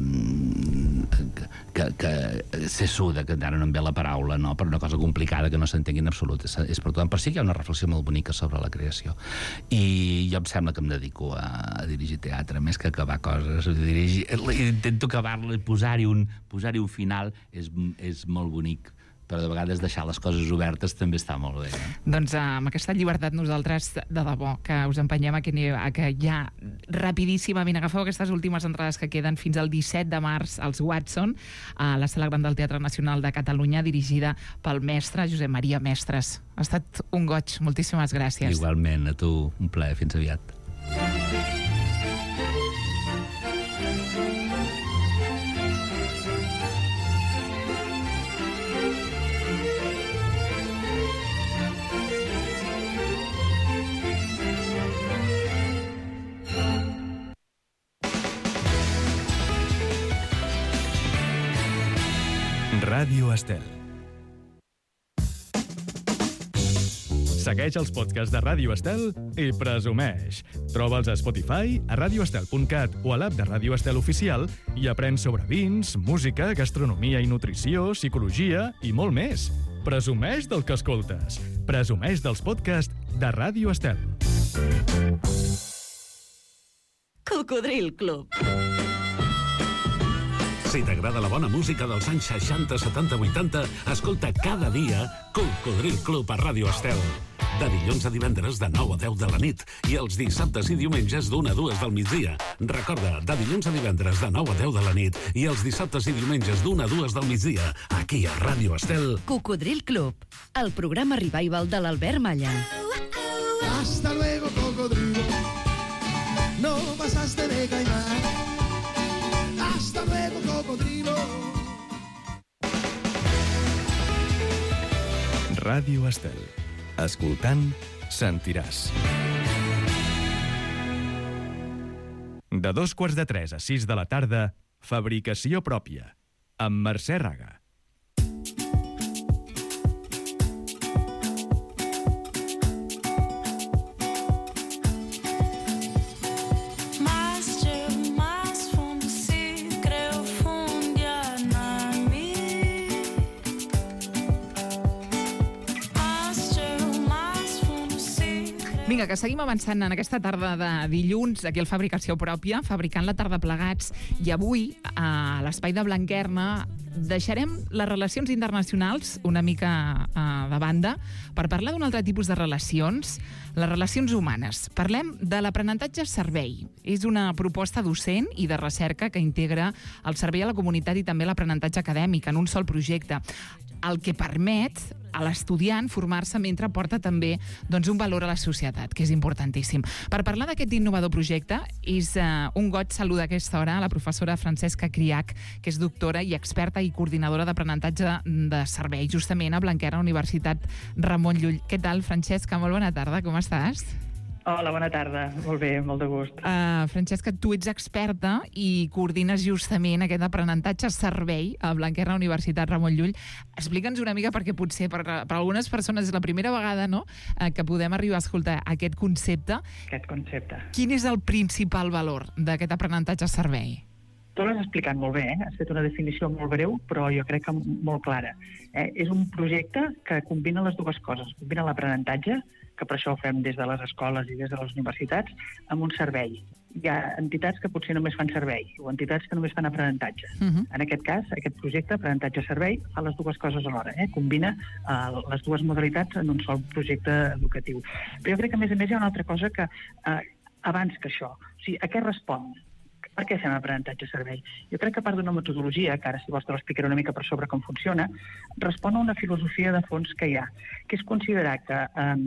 que, que sessuda, que ara no em ve la paraula, no? Però una cosa complicada que no s'entengui en absolut, és, és per tothom. Per si hi ha una reflexió molt bonica sobre la creació. I jo em sembla que em dedico a, a dirigir teatre, més que acabar coses, dirigir, intento acabar-la, posar-hi un, posar-hi un final és, és molt bonic, però de vegades deixar les coses obertes també està molt bé. Eh? Doncs amb aquesta llibertat nosaltres, de debò, que us empenyem a que, a que ja rapidíssimament agafeu aquestes últimes entrades que queden fins al disset de març als Watson, a la Sala Gran del Teatre Nacional de Catalunya, dirigida pel mestre Josep Maria Mestres. Ha estat un goig, moltíssimes gràcies. Igualment, a tu, un plaer, fins aviat. Ràdio Estel. Segueix els podcasts de Ràdio Estel i presumeix. Troba'ls a Spotify, a radioestel punt cat o a l'app de Ràdio Estel Oficial i aprèn sobre vins, música, gastronomia i nutrició, psicologia i molt més. Presumeix del que escoltes. Presumeix dels podcasts de Ràdio Estel. Cocodril Club. Si t'agrada la bona música dels anys seixanta, setanta, vuitanta, escolta cada dia Cocodril Club a Ràdio Estel. De dilluns a divendres de nou a deu de la nit i els dissabtes i diumenges d'una a dues del migdia. Recorda, de dilluns a divendres de nou a deu de la nit i els dissabtes i diumenges d'una a dues del migdia, aquí a Ràdio Estel. Cocodril Club, el programa revival de l'Albert Malla. Hasta luego, cocodrilo. No pasaste de caimán. Hasta luego, cocodrilo. Ràdio Estel. Escoltant, sentiràs. De dos quarts de tres a sis de la tarda, Fabricació pròpia, amb Mercè Raga. Vinga, que seguim avançant en aquesta tarda de dilluns aquí al Fabricació Pròpia, fabricant la tarda plegats, i avui a l'Espai de Blanquerna deixarem les relacions internacionals una mica uh, de banda per parlar d'un altre tipus de relacions, les relacions humanes. Parlem de l'aprenentatge-servei. És una proposta docent i de recerca que integra el servei a la comunitat i també l'aprenentatge acadèmic en un sol projecte, el que permet a l'estudiant formar-se mentre porta també doncs, un valor a la societat, que és importantíssim. Per parlar d'aquest innovador projecte, és uh, un goig saludar a aquesta hora a la professora Francesca Criach, que és doctora i experta i coordinadora d'aprenentatge de servei, justament a Blanquerna, Universitat Ramon Llull. Què tal, Francesca? Molt bona tarda, com estàs? Hola, bona tarda. Molt bé, molt de gust. Uh, Francesca, tu ets experta i coordines justament aquest aprenentatge-servei a Blanquerna, Universitat Ramon Llull. Explica'ns una mica, perquè potser per, per algunes persones és la primera vegada, no?, uh, que podem arribar a escoltar aquest concepte. Aquest concepte. Quin és el principal valor d'aquest aprenentatge-servei? Tu l'has explicat molt bé, eh? Has fet una definició molt breu, però jo crec que molt clara. Eh? És un projecte que combina les dues coses. Combina l'aprenentatge, que per això ho fem des de les escoles i des de les universitats, amb un servei. Hi ha entitats que potser només fan servei, o entitats que només fan aprenentatge. Uh-huh. En aquest cas, aquest projecte, aprenentatge-servei, fa les dues coses alhora. Eh? Combina uh, les dues modalitats en un sol projecte educatiu. Però jo crec que, a més a més, hi ha una altra cosa que, uh, abans que això, o sigui, a què respon? Per què fem aprenentatge-servei? Jo crec que a part d'una metodologia, que ara si vols te l'explicaré una mica per sobre com funciona, respon a una filosofia de fons que hi ha, que és considerar que um,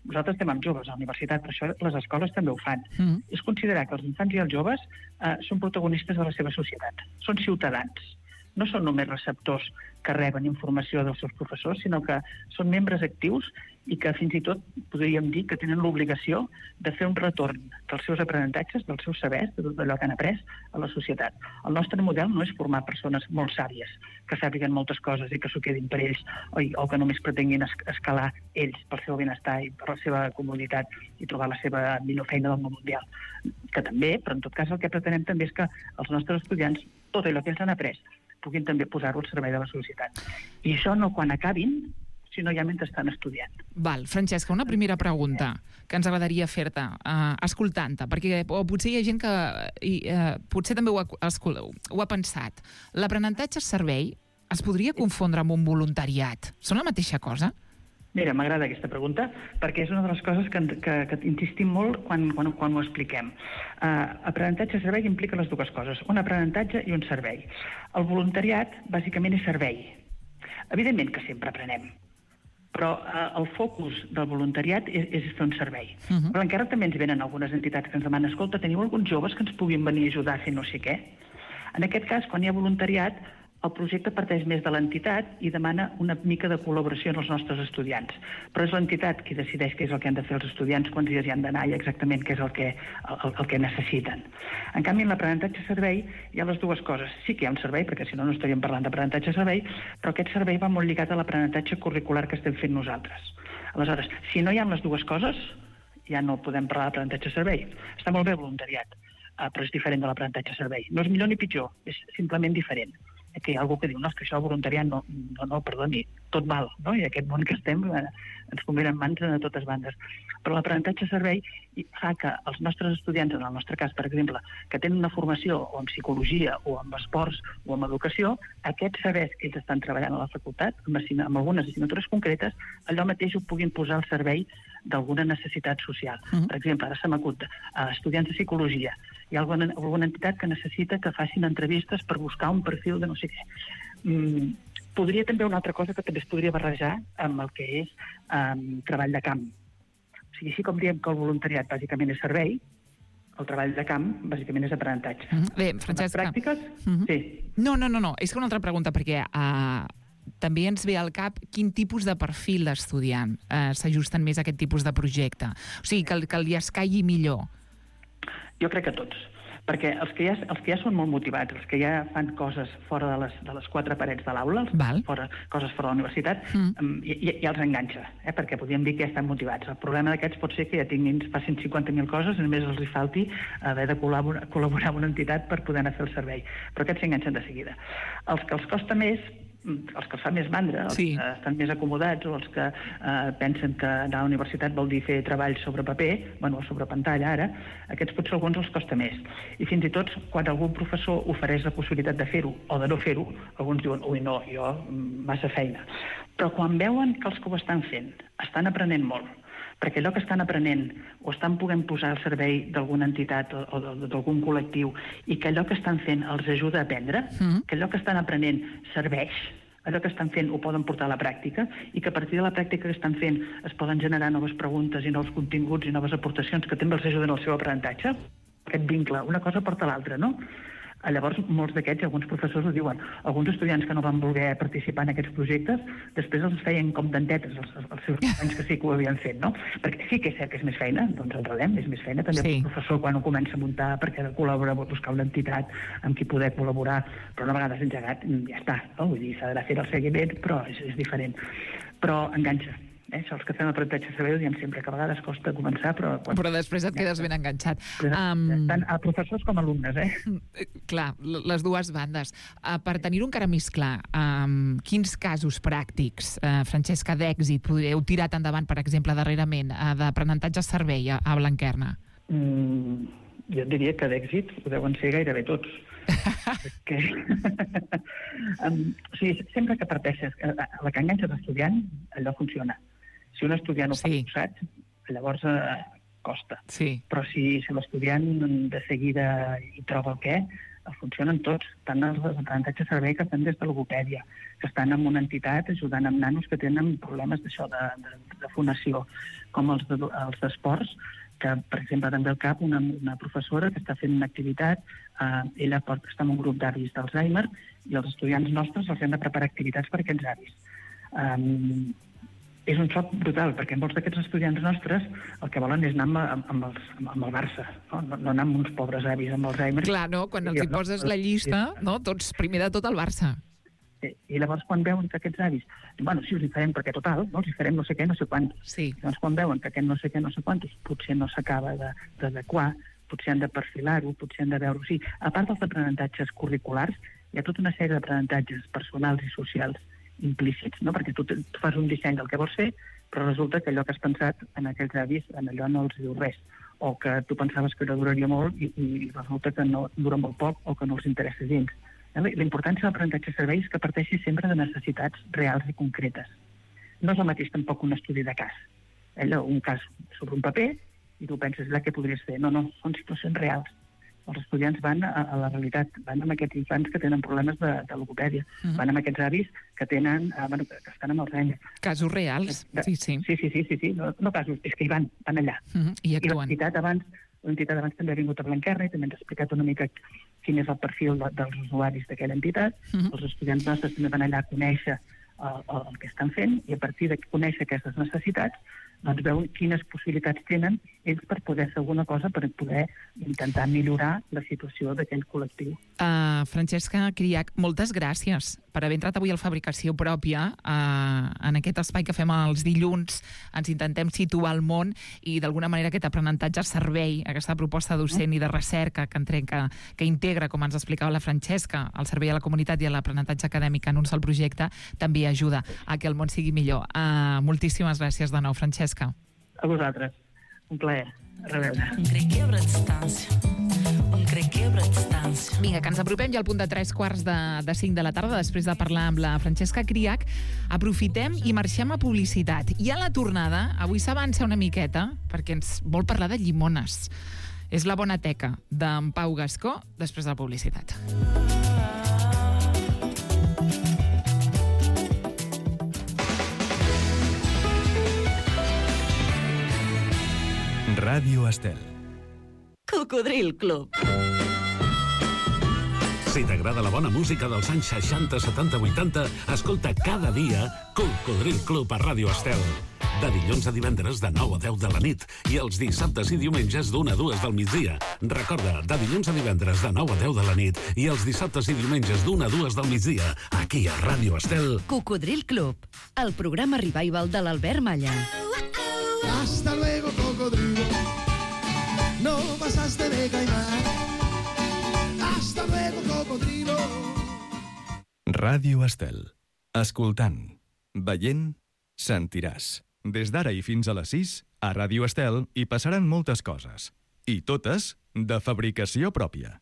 nosaltres estem amb joves a la universitat, per això les escoles també ho fan. Mm. És considerar que els infants i els joves uh, són protagonistes de la seva societat, són ciutadans. No són només receptors que reben informació dels seus professors, sinó que són membres actius i que fins i tot podríem dir que tenen l'obligació de fer un retorn dels seus aprenentatges, dels seus sabers, de tot allò que han après a la societat. El nostre model no és formar persones molt sàvies, que sàpiguen moltes coses i que s'ho quedin per ells, o, o que només pretenguin escalar ells pel seu benestar i per la seva comoditat i trobar la seva millor feina del món mundial. Que també, però en tot cas el que pretenem també és que els nostres estudiants, tot allò que ells han après, puguin també posar-ho al servei de la societat. I això no quan acabin, sinó ja mentre estan estudiant. Val, Francesca, una primera pregunta que ens agradaria fer-te, uh, escoltant-te, perquè o potser hi ha gent que i, uh, potser també ho ha, ho ha pensat. L'aprenentatge-servei es podria confondre amb un voluntariat? Són la mateixa cosa? Mira, m'agrada aquesta pregunta, perquè és una de les coses que, que, que insistim molt quan, quan, quan ho expliquem. Uh, aprenentatge-servei implica les dues coses, un aprenentatge i un servei. El voluntariat, bàsicament, és servei. Evidentment que sempre aprenem, però uh, el focus del voluntariat és, és fer un servei. Uh-huh. Però encara també ens venen algunes entitats que ens demanen, escolta, teniu alguns joves que ens puguin venir a ajudar a fer no sé què? En aquest cas, quan hi ha voluntariat, el projecte parteix més de l'entitat i demana una mica de col·laboració en els nostres estudiants. Però és l'entitat qui decideix què és el que han de fer els estudiants, quants dies hi han d'anar i exactament què és el que, el, el que necessiten. En canvi, en l'aprenentatge-servei hi ha les dues coses. Sí que hi ha un servei, perquè si no no estaríem parlant d'aprenentatge-servei, però aquest servei va molt lligat a l'aprenentatge curricular que estem fent nosaltres. Aleshores, si no hi ha les dues coses, ja no podem parlar d'aprenentatge-servei. Està molt bé el voluntariat, però és diferent de l'aprenentatge-servei. No és millor ni pitjor, és simplement diferent. Que hi ha algú que diu, no, és que això voluntariat no, no, no, perdoni, tot val, no? I aquest món que estem eh, ens convenen mans de totes bandes. Però l'aprenentatge-servei fa que els nostres estudiants, en el nostre cas, per exemple, que tenen una formació o en psicologia o en esports o en educació, aquests sabers que ells estan treballant a la facultat, amb, amb algunes assignatures concretes, allò mateix ho puguin posar al servei d'alguna necessitat social. Uh-huh. Per exemple, ara se m'acut, uh, estudiants de psicologia, hi ha alguna, alguna entitat que necessita que facin entrevistes per buscar un perfil de no sé què. Mm, podria també una altra cosa que també es podria barrejar amb el que és um, treball de camp. O sigui, així com diem que el voluntariat bàsicament és servei, el treball de camp bàsicament és aprenentatge. Uh-huh. Bé, Francesca... Les pràctiques? Uh-huh. Sí. No, no, no, no, és que una altra pregunta, perquè... Uh... també ens ve al cap quin tipus de perfil d'estudiant eh, s'ajusten més a aquest tipus de projecte. O sigui, que, que li escaigui millor. Jo crec que tots. Perquè els que ja, els que ja són molt motivats, els que ja fan coses fora de les, de les quatre parets de l'aula, fora, coses fora de la universitat, mm. ja, ja els enganxa, eh? Perquè podríem dir que ja estan motivats. El problema d'aquests pot ser que ja tinguin, facin cinquanta mil coses i només els hi falti haver de col·laborar, col·laborar amb una entitat per poder anar a fer el servei. Però aquests s'enganxen de seguida. Els que els costa més, els que els fa més mandra, els sí. que estan més acomodats o els que eh, pensen que anar a la universitat vol dir fer treball sobre paper, bueno, sobre pantalla ara, aquests potser alguns els costa més. I fins i tot quan algun professor ofereix la possibilitat de fer-ho o de no fer-ho, alguns diuen, ui no, jo massa feina. Però quan veuen que els que ho estan fent estan aprenent molt, perquè allò que estan aprenent o estan podent posar al servei d'alguna entitat o, o d'algun col·lectiu i que allò que estan fent els ajuda a aprendre, mm. que allò que estan aprenent serveix, allò que estan fent ho poden portar a la pràctica i que a partir de la pràctica que estan fent es poden generar noves preguntes i nous continguts i noves aportacions que també els ajuden al seu aprenentatge, aquest vincle, una cosa porta l'altra, no? Llavors, molts d'aquests, alguns professors ho diuen, alguns estudiants que no van voler participar en aquests projectes, després els feien com dentetes els, els seus companys que sí que ho havien fet, no? Perquè sí que és cert que és més feina, doncs enredem, és més feina. També sí. El professor quan ho comença a muntar perquè ha de col·laborar, vol buscar una entitat amb qui poder col·laborar, però una vegada s'ha engegat, ja està, no? Vull dir, s'ha d'anar a fer el seguiment, però és, és diferent. Però enganxa. Eh? Això, els que fem aprenentatge servei ho diem sempre, que a vegades costa començar, però... Quan... Però després et quedes ben enganxat. Um... Tant a professors com a alumnes, eh? Clar, les dues bandes. Uh, per tenir-ho encara més clar, um, quins casos pràctics, uh, Francesca, d'èxit heu tirat endavant, per exemple, darrerament, uh, d'aprenentatge servei a, a Blanquerna? Mm, jo diria que d'èxit ho deuen ser gairebé tots. que... um, o sigui, sempre que parteixes, la que enganxa l'estudiant, allò funciona. Si un estudiant ho fa sí. forçat, llavors eh, costa. Sí. Però si, si l'estudiant de seguida hi troba el què, funcionen tots, tant els aprenentatges servei que estan des de logopèdia, que estan en una entitat ajudant amb nanos que tenen problemes d'això, de, de, de fonació, com els, de, els d'esports, que, per exemple, també al cap una, una professora que està fent una activitat, eh, ella pot estar en un grup d'avis d'Alzheimer i els estudiants nostres els hem de preparar activitats per a aquests avis. Um, és un xoc brutal, perquè molts d'aquests estudiants nostres el que volen és anar amb, amb, els, amb el Barça, no? No, no anar amb uns pobres avis amb Alzheimer. Clar, no? Quan els hi poses la llista, no? Tots, primer de tot el Barça. Sí. I llavors quan veuen que aquests avis, bueno, sí, us hi farem perquè total, no? Els hi farem no sé què, no sé quantos. Sí. Llavors quan veuen que aquest no sé què, no sé quantos, potser no s'acaba d'adequar, potser han de perfilar-ho, potser han de veure-ho. Sí, a part dels aprenentatges curriculars, hi ha tota una sèrie d'aprenentatges personals i socials implícits, no? Perquè tu, tu fas un disseny del que vols fer, però resulta que allò que has pensat en aquells avis, en allò no els diu res, o que tu pensaves que no duraria molt i, i resulta que no dura molt poc o que no els interessa gens. La importància de l'aprenentatge servei és que parteixi sempre de necessitats reals i concretes. No és el mateix tampoc un estudi de cas. Allò, un cas sobre un paper i tu penses, là, què podries fer? No, no, són situacions reals. Els estudiants van a, a la realitat, van amb aquests infants que tenen problemes de, de logopèdia, uh-huh. van amb aquests avis que tenen, eh, bueno, que estan amb Alzheimer. Casos reals, de, sí, sí. Sí, sí, sí, sí, sí. No, no casos, és que hi van, van allà. Uh-huh. I actuen. I l'entitat abans, l'entitat abans també ha vingut a Blanquerna i també ens ha explicat una mica quin és el perfil de, dels usuaris d'aquella entitat. Uh-huh. Els estudiants nostres també van allà a conèixer el, el, el que estan fent i a partir de conèixer aquestes necessitats doncs veuen quines possibilitats tenen ells per poder fer alguna cosa, per poder intentar millorar la situació d'aquell col·lectiu. Uh, Francesca Criach, moltes gràcies per haver entrat avui a la Fabricació Pròpia, uh, en aquest espai que fem els dilluns. Ens intentem situar al món i d'alguna manera aquest aprenentatge servei, aquesta proposta docent i de recerca que, entrenca, que integra, com ens explicava la Francesca, el servei a la comunitat i a l'aprenentatge acadèmic en un sol projecte, també ajuda a que el món sigui millor. Uh, moltíssimes gràcies de nou, Francesca. A vosaltres. Un plaer. A reveure. Vinga, que ens apropem ja al punt de tres quarts de, de cinc de la tarda, després de parlar amb la Francesca Criach. Aprofitem i marxem a publicitat. I a la tornada, avui s'avança una miqueta, perquè ens vol parlar de llimones. És la bona teca d'en Pau Gascó, després de la publicitat. Ràdio Estel. Cocodril Club. Si t'agrada la bona música dels anys seixanta, setanta, vuitanta, escolta cada dia Cocodril Club a Ràdio Estel. De dilluns a divendres de nou a deu de la nit i els dissabtes i diumenges d'una a dues del migdia. Recorda, de dilluns a divendres de nou a deu de la nit i els dissabtes i diumenges d'una a dues del migdia, aquí a Ràdio Estel. Cocodril Club, el programa revival de l'Albert Malla. Hasta luego, cocodrilo. No pasaste de caimán. Hasta luego, cocodrilo. Ràdio Estel. Escoltant, veient, sentiràs. Des d'ara i fins a les sis, a Ràdio Estel hi passaran moltes coses. I totes de fabricació pròpia.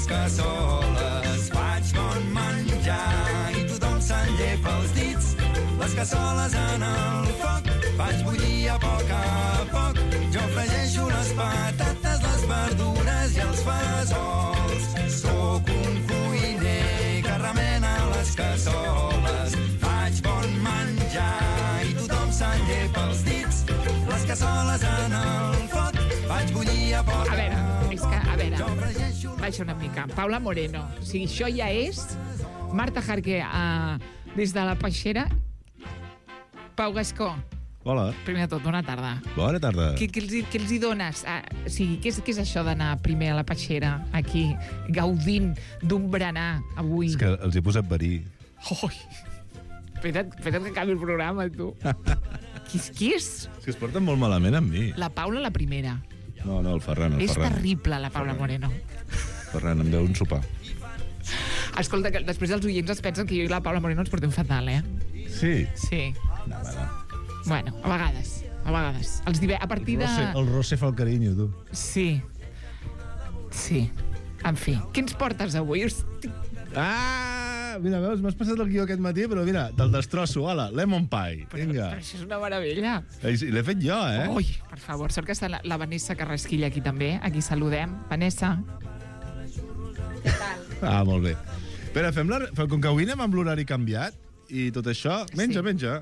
Cassoles, faig bon menjar i tothom s'enllepa els dits. Les cassoles en el foc, faig bullir a poc a poc. Jo fregeixo les patates, les verdures i els fesols. Sóc un cuiner que remena les cassoles. Faig bon menjar i tothom s'enllepa els dits. Les cassoles en el foc, faig bullir a poc a poc. A veure, és que, a veure, baixa una mica. Paula Moreno. O sigui, això ja és Marta Jarque uh, des de la Peixera. Pau Gascó. Hola. Primer de tot, bona tarda. Bona tarda. Què, què, els, hi, què els hi dones? Ah, o sigui, què és, què és això d'anar primer a la Peixera, aquí, gaudint d'un berenar avui? És que els he posat verí. Ui! Espera't, espera't que acabi el programa, tu. Qui és, qui és? És que es porten molt malament amb mi. La Paula, la primera. No, no, el Ferran, el és Ferran. És terrible, la Paula Moreno. Ferran, em deu un sopar. Escolta, que després els oients es pensen que jo i la Paula Moreno ens portem fatal, eh? Sí? Sí. No, no. Bueno, a vegades, a vegades. Els dive... A partir el Rosse, de... El Rosse fa el carinyo, tu. Sí. Sí. En fi, què ens portes avui? Hosti... Ah! Mira, veus, m'has passat el guió aquest matí, però mira, te'l destrosso, hola, lemon pie, vinga. Però això és una meravella. L'he fet jo, eh? Ui, per favor, sort que està la, la Vanessa Carrasquilla aquí també, aquí saludem. Vanessa. Què tal? Ah, molt bé. Espera, fem la... com que avui anem amb l'horari canviat, i tot això, menja, sí. menja.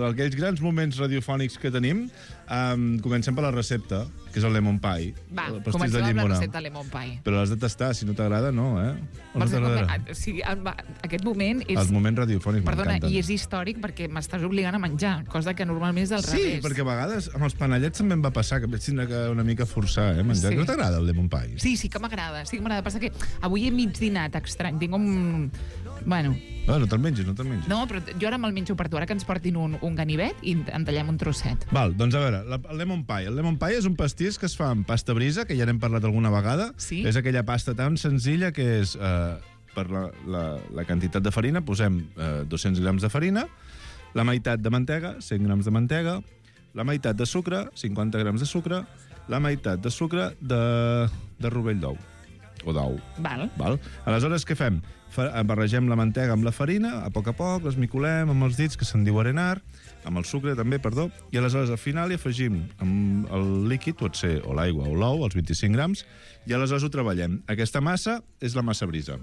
Aquells grans moments radiofònics que tenim, um, comencem per la recepta, que és el lemon pie. Va, comencem amb la recepta lemon pie. Però l'has de tastar, si no t'agrada, no, eh? No moment, o sigui, aquest moment és... Els moments radiofònics Perdona, m'encanten. i és històric perquè m'estàs obligant a menjar, cosa que normalment és al sí, revés. Sí, perquè a vegades amb els panellets també em va passar, que vaig tindre que una mica forçar, eh, menjar. Sí. No t'agrada el lemon pie? Sí, sí que m'agrada, sí que m'agrada. Passa que avui he mig dinat estrany, tinc un... Bueno... No, no te'l mengis, no te'l mengis. No, però jo ara me'l menjo per tu. Ara que ens portin un, un ganivet i en tallem un trosset. Val, doncs a veure, la, el lemon pie. El lemon pie és un pastís que es fa amb pasta brisa, que ja n'hem parlat alguna vegada. Sí. És aquella pasta tan senzilla que és... Eh, per la, la, la quantitat de farina, posem eh, dos-cents grams de farina, la meitat de mantega, cent grams de mantega, la meitat de sucre, cinquanta grams de sucre, la meitat de sucre de, de rovell d'ou, o d'ou. Val. Val? Aleshores, què fem? Fa, barregem la mantega amb la farina, a poc a poc, l'esmicolem amb els dits, que se'n diu arenar, amb el sucre també, perdó, i aleshores al final hi afegim amb el líquid, pot ser o l'aigua o l'ou, els vint-i-cinc grams, i aleshores ho treballem. Aquesta massa és la massa brisa.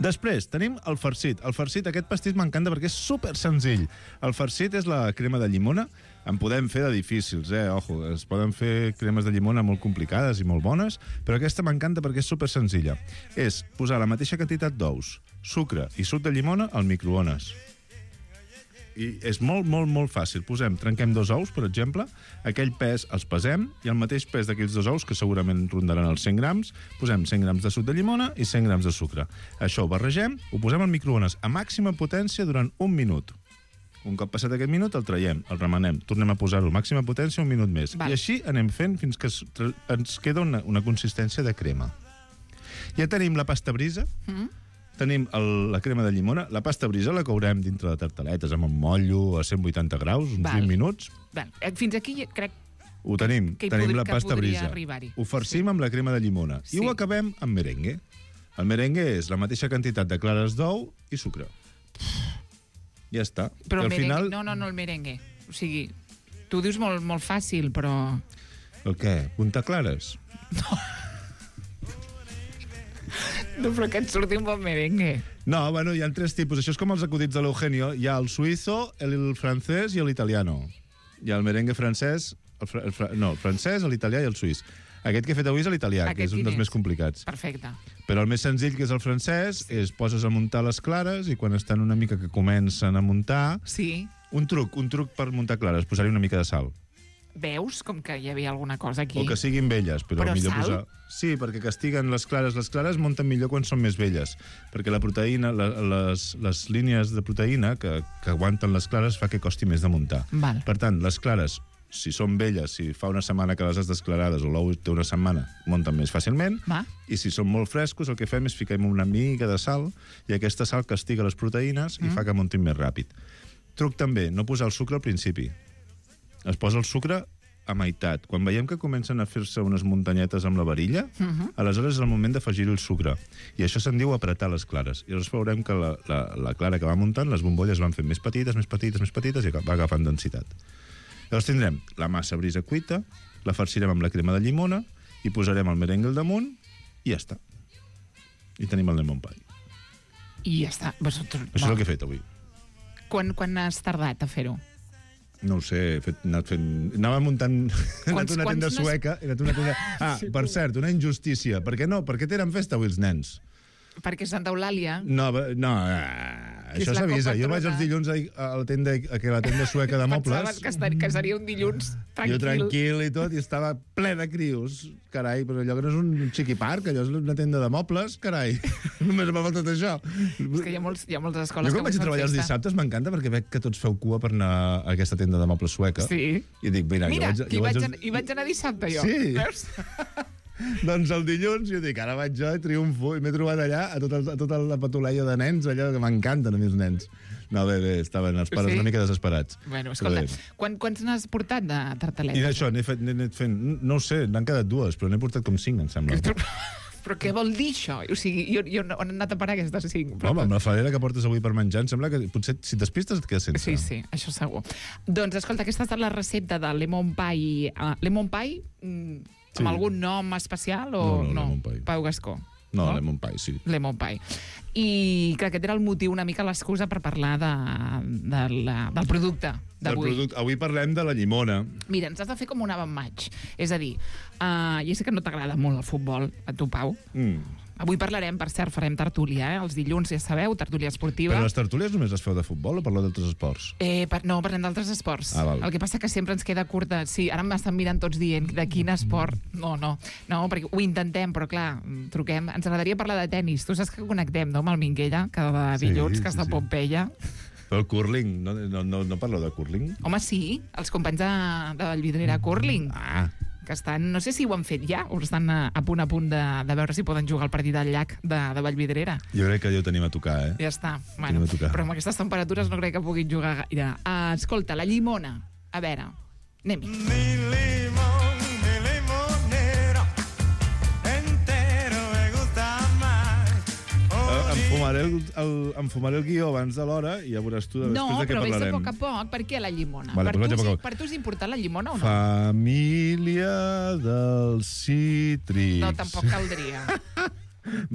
Després, tenim el farcit. El farcit, aquest pastís m'encanta perquè és super senzill. El farcit és la crema de llimona. En podem fer de difícils, eh? Ojo, es poden fer cremes de llimona molt complicades i molt bones, però aquesta m'encanta perquè és super senzilla. És posar la mateixa quantitat d'ous, sucre i suc de llimona al microones. I és molt, molt, molt fàcil. Posem, trenquem dos ous, per exemple, aquell pes els pesem, i el mateix pes d'aquells dos ous, que segurament rondaran els cent grams, posem cent grams de suc de llimona i cent grams de sucre. Això ho barregem, ho posem al microones a màxima potència durant un minut. Un cop passat aquest minut, el traiem, el remenem, tornem a posar-ho a màxima potència un minut més. Val. I així anem fent fins que es, ens queda una, una consistència de crema. Ja tenim la pasta brisa, mm. Tenim el, la crema de llimona. La pasta brisa la courem dintre de tartaletes amb un motllo a cent vuitanta graus, uns Val. vint minuts. Val. Fins aquí crec ho tenim. que, tenim podri, la pasta brisa. Ho farcim sí. amb la crema de llimona. Sí. I ho acabem amb merengue. El merengue és la mateixa quantitat de clares d'ou i sucre. Ja està. Però I el al merengue... final... No, no, no, el merengue. O sigui, tu ho dius molt, molt fàcil, però... El què? Punta clares? No. No, però que et surti un bon merengue. No, bueno, hi ha tres tipus. Això és com els acudits de l'Eugenio. Hi ha el suïzo, el francès i l'italiano. Hi ha el merengue francès, el, fra, el fra, no, el francès, l'italià i el suís. Aquest que he fet avui és l'italià, que és un dels més complicats. Perfecte. Però el més senzill, que és el francès, és poses a muntar les clares i quan estan una mica que comencen a muntar... Sí. Un truc, un truc per muntar clares, posar-hi una mica de sal. Veus com que hi havia alguna cosa aquí? O que siguin velles, però, però millor sal? posar... Sí, perquè castiguen les clares. Les clares munten millor quan són més velles, perquè la proteïna, la, les, les línies de proteïna que, que aguanten les clares fa que costi més de muntar. Val. Per tant, les clares, si són velles, si fa una setmana que les has desclarades o l'ou té una setmana, munten més fàcilment. Va. I si són molt frescos, el que fem és ficar una mica de sal i aquesta sal castiga les proteïnes mm. i fa que muntin més ràpid. Truc també, no posar el sucre al principi. Es posa el sucre a meitat. Quan veiem que comencen a fer-se unes muntanyetes amb la varilla, uh -huh. aleshores és el moment d'afegir-hi el sucre. I això se'n diu apretar les clares. I llavors veurem que la, la, la clara que va muntant, les bombolles van fent més petites, més petites, més petites, i va agafant densitat. Llavors tindrem la massa brisa cuita, la farcirem amb la crema de llimona, i posarem el merengue al damunt, i ja està. I tenim el lemon pie. I ja està. Vosaltres... Això és el que he fet avui. Quan, quan has tardat a fer-ho? No ho sé, he fet, anat fent... Anava muntant... He anat una tenda sueca... He anat una tenda... Ah, sí, per cert, una injustícia. Per què no? Per què tenen festa avui els nens? Perquè Santa Eulàlia... No, no, eh, això s'avisa. Jo vaig els dilluns a, a la tenda, a la tenda sueca de mobles... Pensaves que, estar, que seria un dilluns tranquil. Jo tranquil i tot, i estava ple de crios. Carai, però allò que no és un xiqui parc, allò és una tenda de mobles, carai. Només m'ha faltat això. És que hi ha, molts, hi ha moltes escoles jo que... Jo quan vaig a treballar els dissabtes m'encanta perquè veig que tots feu cua per anar a aquesta tenda de mobles sueca. Sí. I dic, mira, mira jo vaig... hi, jo vaig, vaig... An... hi vaig anar dissabte, jo. Sí. Veus? Doncs el dilluns jo dic, ara vaig jo i triomfo, i m'he trobat allà a tota, a tota la patuleia de nens, allò que m'encanten a mi els nens. No, bé, bé, estaven els pares sí? una mica desesperats. Bueno, escolta, quan, quants n'has portat de tartaletes? I d'això, n'he fet, fet fent, no ho sé, n'han quedat dues, però n'he portat com cinc, em sembla. Però què vol dir això? O sigui, jo, jo on he anat a parar aquestes cinc? Però... Home, amb la fadera que portes avui per menjar, em sembla que potser si t'espistes et quedes sense. Sí, sí, això segur. Doncs, escolta, aquesta ha estat la recepta de lemon pie. Uh, lemon pie, mm, amb sí. algun nom especial o no? No, no, lemon pie. Pau Gascó. No, no, lemon pie, sí. Lemon pie. I que aquest era el motiu, una mica l'excusa per parlar de, de la, del producte d'avui. Avui parlem de la llimona. Mira, ens has de fer com un avant match. És a dir, uh, ja sé que no t'agrada molt el futbol, a tu, Pau. Mm. Avui parlarem, per cert, farem tertúlia, eh? Els dilluns, ja sabeu, tertúlia esportiva. Però les tertúlies només les feu de futbol o parleu d'altres esports? Eh, per, no, parlem d'altres esports. Ah, val. El que passa que sempre ens queda curta. Sí, ara m'estan mirant tots dient de quin esport. No, no, no, perquè ho intentem, però clar, truquem. Ens agradaria parlar de tennis. Tu saps que connectem, no?, amb el Minguella, cada Sí, dilluns, sí, que està a sí. Pompeia. Però el curling, no, no, no, no parleu de curling? Home, sí, els companys de, de Vallvidrera Curling. Ah, Que estan, no sé si ho han fet ja, o estan a, a punt a punt de, de veure si poden jugar al partit al llac de, de Vallvidrera. jo crec que ja ho tenim a tocar, eh? Ja està. Tenim Bueno, a tocar. però amb aquestes temperatures no crec que puguin jugar gaire. Uh, escolta, la llimona. A veure, anem-hi. Mi limón, mi limonero, entero me gusta más. Eh, Em fumaré el, el, em fumaré el guió abans de l'hora i ja veuràs tu després No, de què però vés a parlarem. poc a poc. Per què la llimona? Vale, per, però tu, vaig a poc a sí- poc. per tu és important la llimona o no? Família dels cítrics. No, tampoc caldria.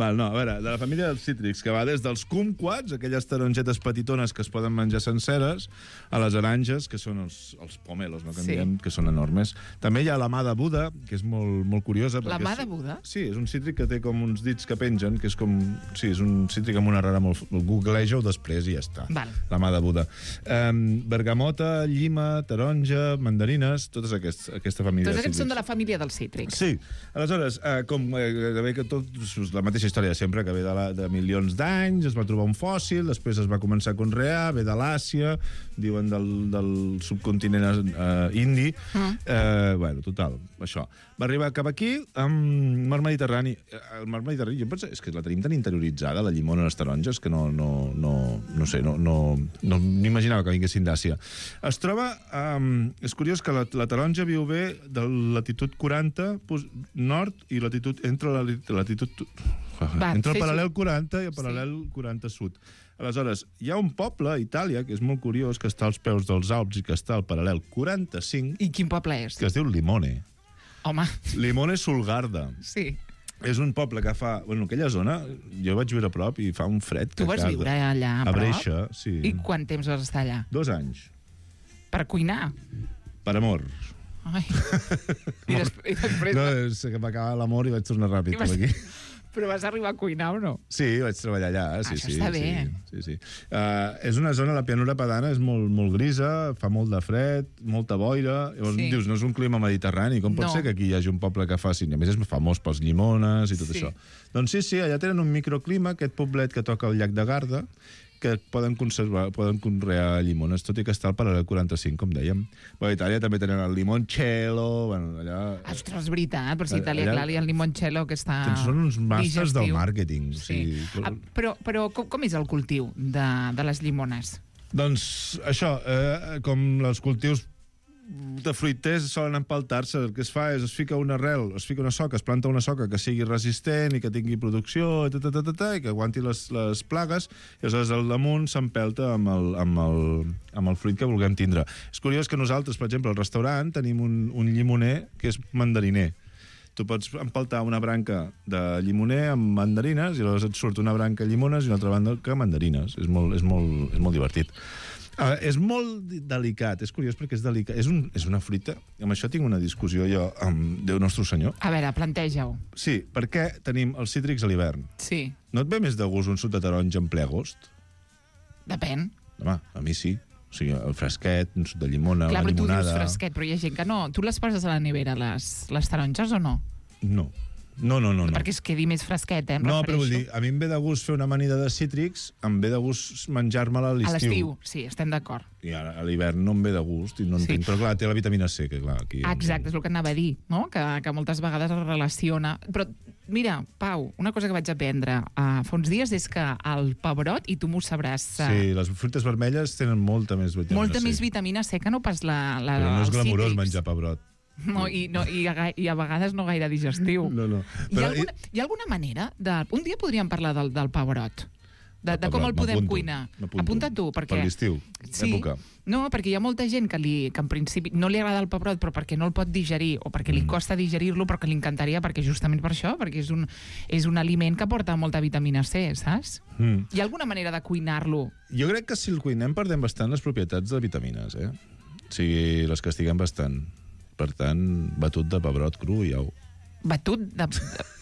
Val, no, a veure, de la família dels cítrics, que va des dels kumquats, aquelles tarongetes petitones que es poden menjar senceres, a les aranges, que són els, els pomelos, no, que en Sí. diem, que són enormes. També hi ha la mà de Buda, que és molt, molt curiosa. La perquè mà és- de Buda? Sí, és un cítric que té com uns dits que pengen, que és com... Sí, és un cítric amb una rara molt... Googleja-ho després i ja està. Val. La mà de Buda. Um, bergamota, llima, taronja, mandarines, totes aquests, aquesta família Tots de aquests cítrics. són de la família dels cítrics. Sí, aleshores, eh, com eh, gairebé que tot, la mateixa història de sempre, que ve de, la, de milions d'anys, es va trobar un fòssil, després es va començar a conrear, ve de l'Àsia, diuen del, del subcontinent eh, indi. Mm. Eh, bueno, total, això. Va arribar cap aquí amb mar Mediterrani. Eh, El mar Mediterrani, jo penso, és que la tenim tan interioritzada, la llimona i les taronges, que no, no, no, no sé, no, no, no m'imaginava que vinguessin d'Àsia. Es troba... Um, és curiós que la, la taronja viu bé de latitud quaranta pos- nord i latitud entre la lit- latitud... Va, entre el fes-ho. paral·lel quaranta i el paral·lel quaranta sud. Aleshores, hi ha un poble a Itàlia, que és molt curiós, que està als peus dels Alps i que està al paral·lel quaranta-cinc, I quin poble és? que es diu Limone. Home, Limone Sulgarda. sí. És un poble que fa... Bueno, aquella zona, jo vaig viure a prop i fa un fred. Tu que vas caga. viure allà a A prop? Breixa, sí. I quant temps vas estar allà? Dos anys. Per cuinar? Per amor. Ai. I, des i després... No, és que m'acaba l'amor i vaig tornar ràpid I vas- cap aquí. Però vas arribar a cuinar o no? Sí, vaig treballar allà. Sí, Això sí, està sí, bé. Sí, sí. Uh, és una zona, la pianura padana és molt, molt grisa, fa molt de fred, molta boira. Llavors Sí. dius, no és un clima mediterrani. Com pot No. ser que aquí hi hagi un poble que faci... A més, és famós pels llimones i tot Sí. això. Doncs sí, sí, allà tenen un microclima, aquest poblet que toca al llac de Garda, que poden conservar, poden conrear llimones, tot i que està al paral·lel quaranta-cinc, com dèiem. Bueno, a Itàlia també tenen el limoncello, bueno, allà... Ostres, és veritat, per si Allà- Itàlia, allà- clar, hi ha el limoncello que està Són uns màsters del digestiu. màrqueting. O Sí. sigui, Ah, però però com, com és el cultiu de, de les llimones? Doncs això, eh, com els cultius de fruiters solen empaltar-se, el que es fa és es fica una arrel, es fica una soca, es planta una soca que sigui resistent i que tingui producció i, ta, ta, ta, ta, ta, i que aguanti les, les plagues, i aleshores al damunt s'empelta amb, el, amb, el, amb el fruit que vulguem tindre. És curiós que nosaltres, per exemple, al restaurant tenim un, un llimoner que és mandariner. Tu pots empaltar una branca de llimoner amb mandarines i aleshores et surt una branca de llimones i una altra banda que mandarines. És molt, és molt, és molt divertit. Uh, és molt delicat, és curiós perquè és delicat. És, un, és una fruita, amb això tinc una discussió jo amb Déu Nostre Senyor. A veure, planteja-ho. Sí, perquè tenim els cítrics a l'hivern. Sí, No et ve més de gust un suc de taronja en ple agost? depèn. Home, a mi sí. O sigui, el fresquet, un suc de llimona, Clar, la però tu dius llimonada... fresquet, però hi ha gent que no. Tu les poses a la nevera, les, les taronges, o no? No. No, no, no. no. Perquè es quedi més fresquet, eh? Em No, però vull refereixo. dir, a mi em ve de gust fer una amanida de cítrics, em ve de gust menjar-me-la a A l'estiu, l'estiu. sí, estem d'acord. I ara, a l'hivern no em ve de gust i no Sí. entenc. Però clar, té la vitamina C, que clar, aquí... Ah, exacte, és el que anava a dir, no? Que, que moltes vegades es relaciona. Però, mira, Pau, una cosa que vaig aprendre uh, fa uns dies és que el pebrot, i tu m'ho sabràs... Uh, Sí, les fruites vermelles tenen molta més vitamina molta C. més vitamina C que no pas la, la Però no és els glamurós cítrics. menjar pebrot. No, i, no, i, a, i a vegades no gaire digestiu. No, no. Hi, ha Però, alguna, hi ha alguna manera de... Un dia podríem parlar del, del pebrot. De, El de com el pebrot, podem m'apunto, cuinar. m'apunto. Apunta tu, perquè... Per l'estiu, Sí, època. no, perquè hi ha molta gent que, li, que en principi no li agrada el pebrot, però perquè no el pot digerir, o perquè li Mm. costa digerir-lo, però que li encantaria, perquè justament per això, perquè és un, és un aliment que porta molta vitamina C, saps? Mm. Hi ha alguna manera de cuinar-lo? Jo crec que si el cuinem perdem bastant les propietats de vitamines, eh? O sigui, les castiguem bastant. Per tant, batut de pebrot cru i au. Batut de...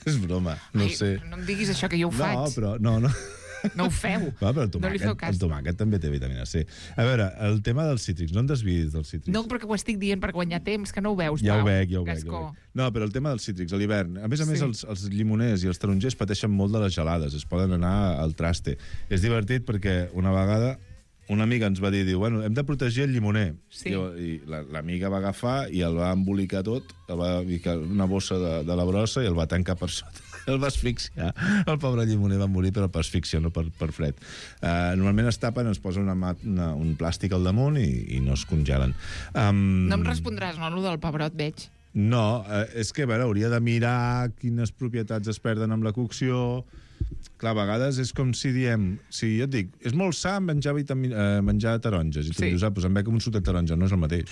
És broma, no Ai, sé. no em diguis això, que jo ho No, faig. però... No, no. No ho feu. Va, però el No li feu tomàquet, cas. el tomàquet també té vitamina C. A veure, el tema dels cítrics, no em desviïs dels cítrics. No, perquè ho estic dient per guanyar temps, que no ho veus, Ja Pau. ho veig, ja ho veig, ja Gascó. ho veig. No, però el tema dels cítrics, a l'hivern. A més a més, Sí. els, els llimoners i els tarongers pateixen molt de les gelades, es poden anar al traste. És divertit perquè una vegada una amiga ens va dir, diu, bueno, hem de protegir el llimoner. Sí. I, i la- l'amiga va agafar i el va embolicar tot, el va ficar en una bossa de, de la brossa i el va tancar per sota. El va asfixiar. El pobre llimoner va morir, però per asfíxia, no per, per fred. Uh, normalment es tapen, es posa una, mat- una, un plàstic al damunt i, i no es congelen. Um, No em respondràs, no, allò del pebrot, veig. No, eh, és que, a veure, hauria de mirar quines propietats es perden amb la cocció. Clar, a vegades és com si diem... Si jo et dic, és molt sa menjar, vitamin, eh, menjar taronges, i tu Sí. dius, ah, doncs em bec un suc de taronja, no és el mateix.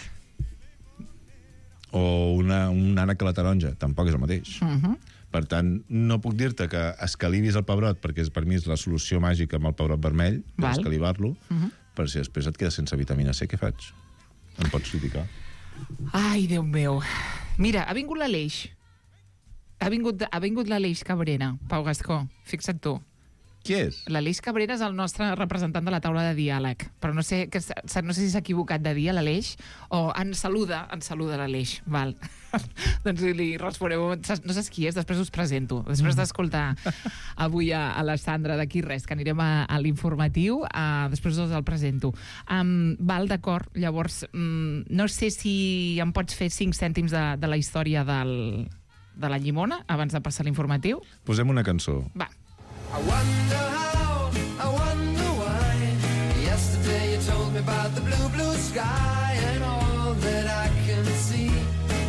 O una, un ànec a la taronja, tampoc és el mateix. Uh -huh. Per tant, no puc dir-te que escalivis el pebrot, perquè és, per mi és la solució màgica amb el pebrot vermell, Val. escalivar-lo, Uh -huh. però si després et quedes sense vitamina C, què faig? Em pots criticar? Ai, Déu meu. Mira, ha vingut l'Aleix. Ha vingut, ha vingut l'Aleix Cabrera, Pau Gascó. Fixa't tu. Qui és? L'Aleix Cabrera és el nostre representant de la taula de diàleg, però no sé, que, s- no sé si s'ha equivocat de dia l'Aleix, o ens saluda, ens saluda l'Aleix, val. Doncs li responeu, no saps qui és, després us presento. Després d'escoltar avui a, a la Sandra d'aquí res, que anirem a, a l'informatiu, uh, després us el presento. Um, val, d'acord, llavors, um, no sé si em pots fer cinc cèntims de, de la història del, de la llimona, abans de passar a l'informatiu? Posem una cançó. Va. I wonder how, I wonder why. Yesterday you told me about the blue, blue sky, and all that I can see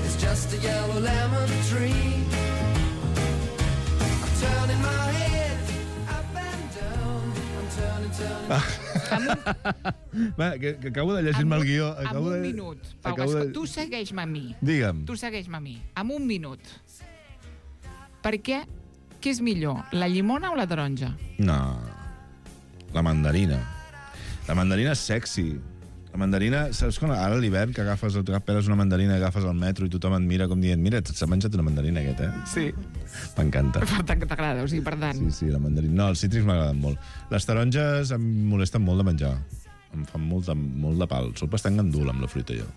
is just a yellow lemon tree. I'm turning my head up and down. I'm turning, turning. Va, que, que acabo de llegir-me el guió. En Acabo un de... minut, Pau acabo Gascó, de- tu segueix-me a mi. Digue'm. Tu segueix-me a mi. En un minut. Per què? Què és millor, la llimona o la taronja? No. La mandarina. La mandarina és sexy. La mandarina, saps quan ara a l'hivern que agafes, peles una mandarina, agafes al metro i tothom et mira com dient, mira, s'ha menjat una mandarina aquest, eh? Sí. M'encanta. Per tant, que t'agrada, o sigui, per tant... Sí, sí, la mandarina. No, els cítrics m'agraden molt. Les taronges em molesten molt de menjar. Em fan molt de, molt de pal. Soc bastant gandul amb la fruita, jo.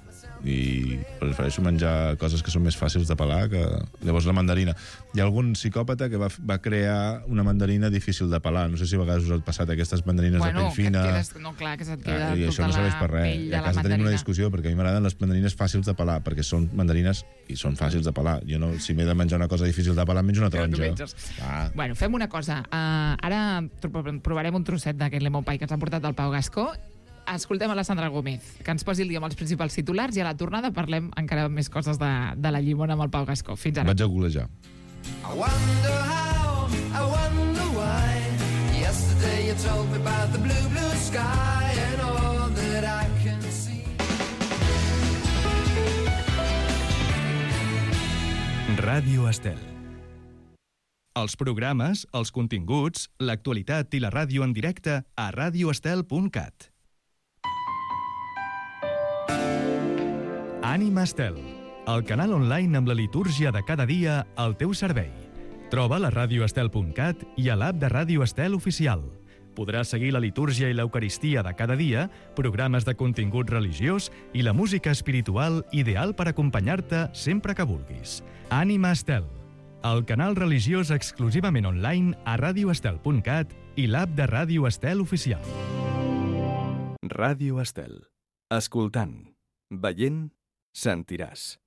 I prefereixo menjar coses que són més fàcils de pelar que... Llavors, la mandarina. Hi ha algun psicòpata que va, va crear una mandarina difícil de pelar. No sé si a vegades us ha passat aquestes mandarines Bueno, de pell fina... que et quedes... No, clar, que se't queda Ah, I això tota no serveix la per res. pell I de a la casa tenim mandarina. una discussió, perquè a mi m'agraden les mandarines fàcils de pelar, perquè són mandarines i són fàcils de pelar. Jo no, si m'he de menjar una cosa difícil de pelar, em menjo una Però tu taronja. menges. Ah. Bueno, fem una cosa. Uh, ara tro- provarem un trosset d'aquest lemon pie que ens ha portat el Pau Gascó. Escoltem a la Sandra Gómez, que ens posi el dia amb els principals titulars, i a la tornada parlem encara més coses de, de la llimona amb el Pau Gascó. Fins ara. Vaig a golejar. I wonder how, I wonder why. Yesterday you told me about the blue, blue sky, and all that I can see. Ràdio Estel. Els programes, els continguts, l'actualitat i la ràdio en directe a radio estel punt cat. Ànima Estel, el canal online amb la litúrgia de cada dia al teu servei. Troba la radio estel punt cat i a l'app de Ràdio Estel oficial. Podràs seguir la litúrgia i l'eucaristia de cada dia, programes de contingut religiós i la música espiritual ideal per acompanyar-te sempre que vulguis. Ànima Estel, el canal religiós exclusivament online a radio estel punt cat i l'app de Ràdio Estel oficial. Ràdio Estel. Escoltant, veient, sentiràs.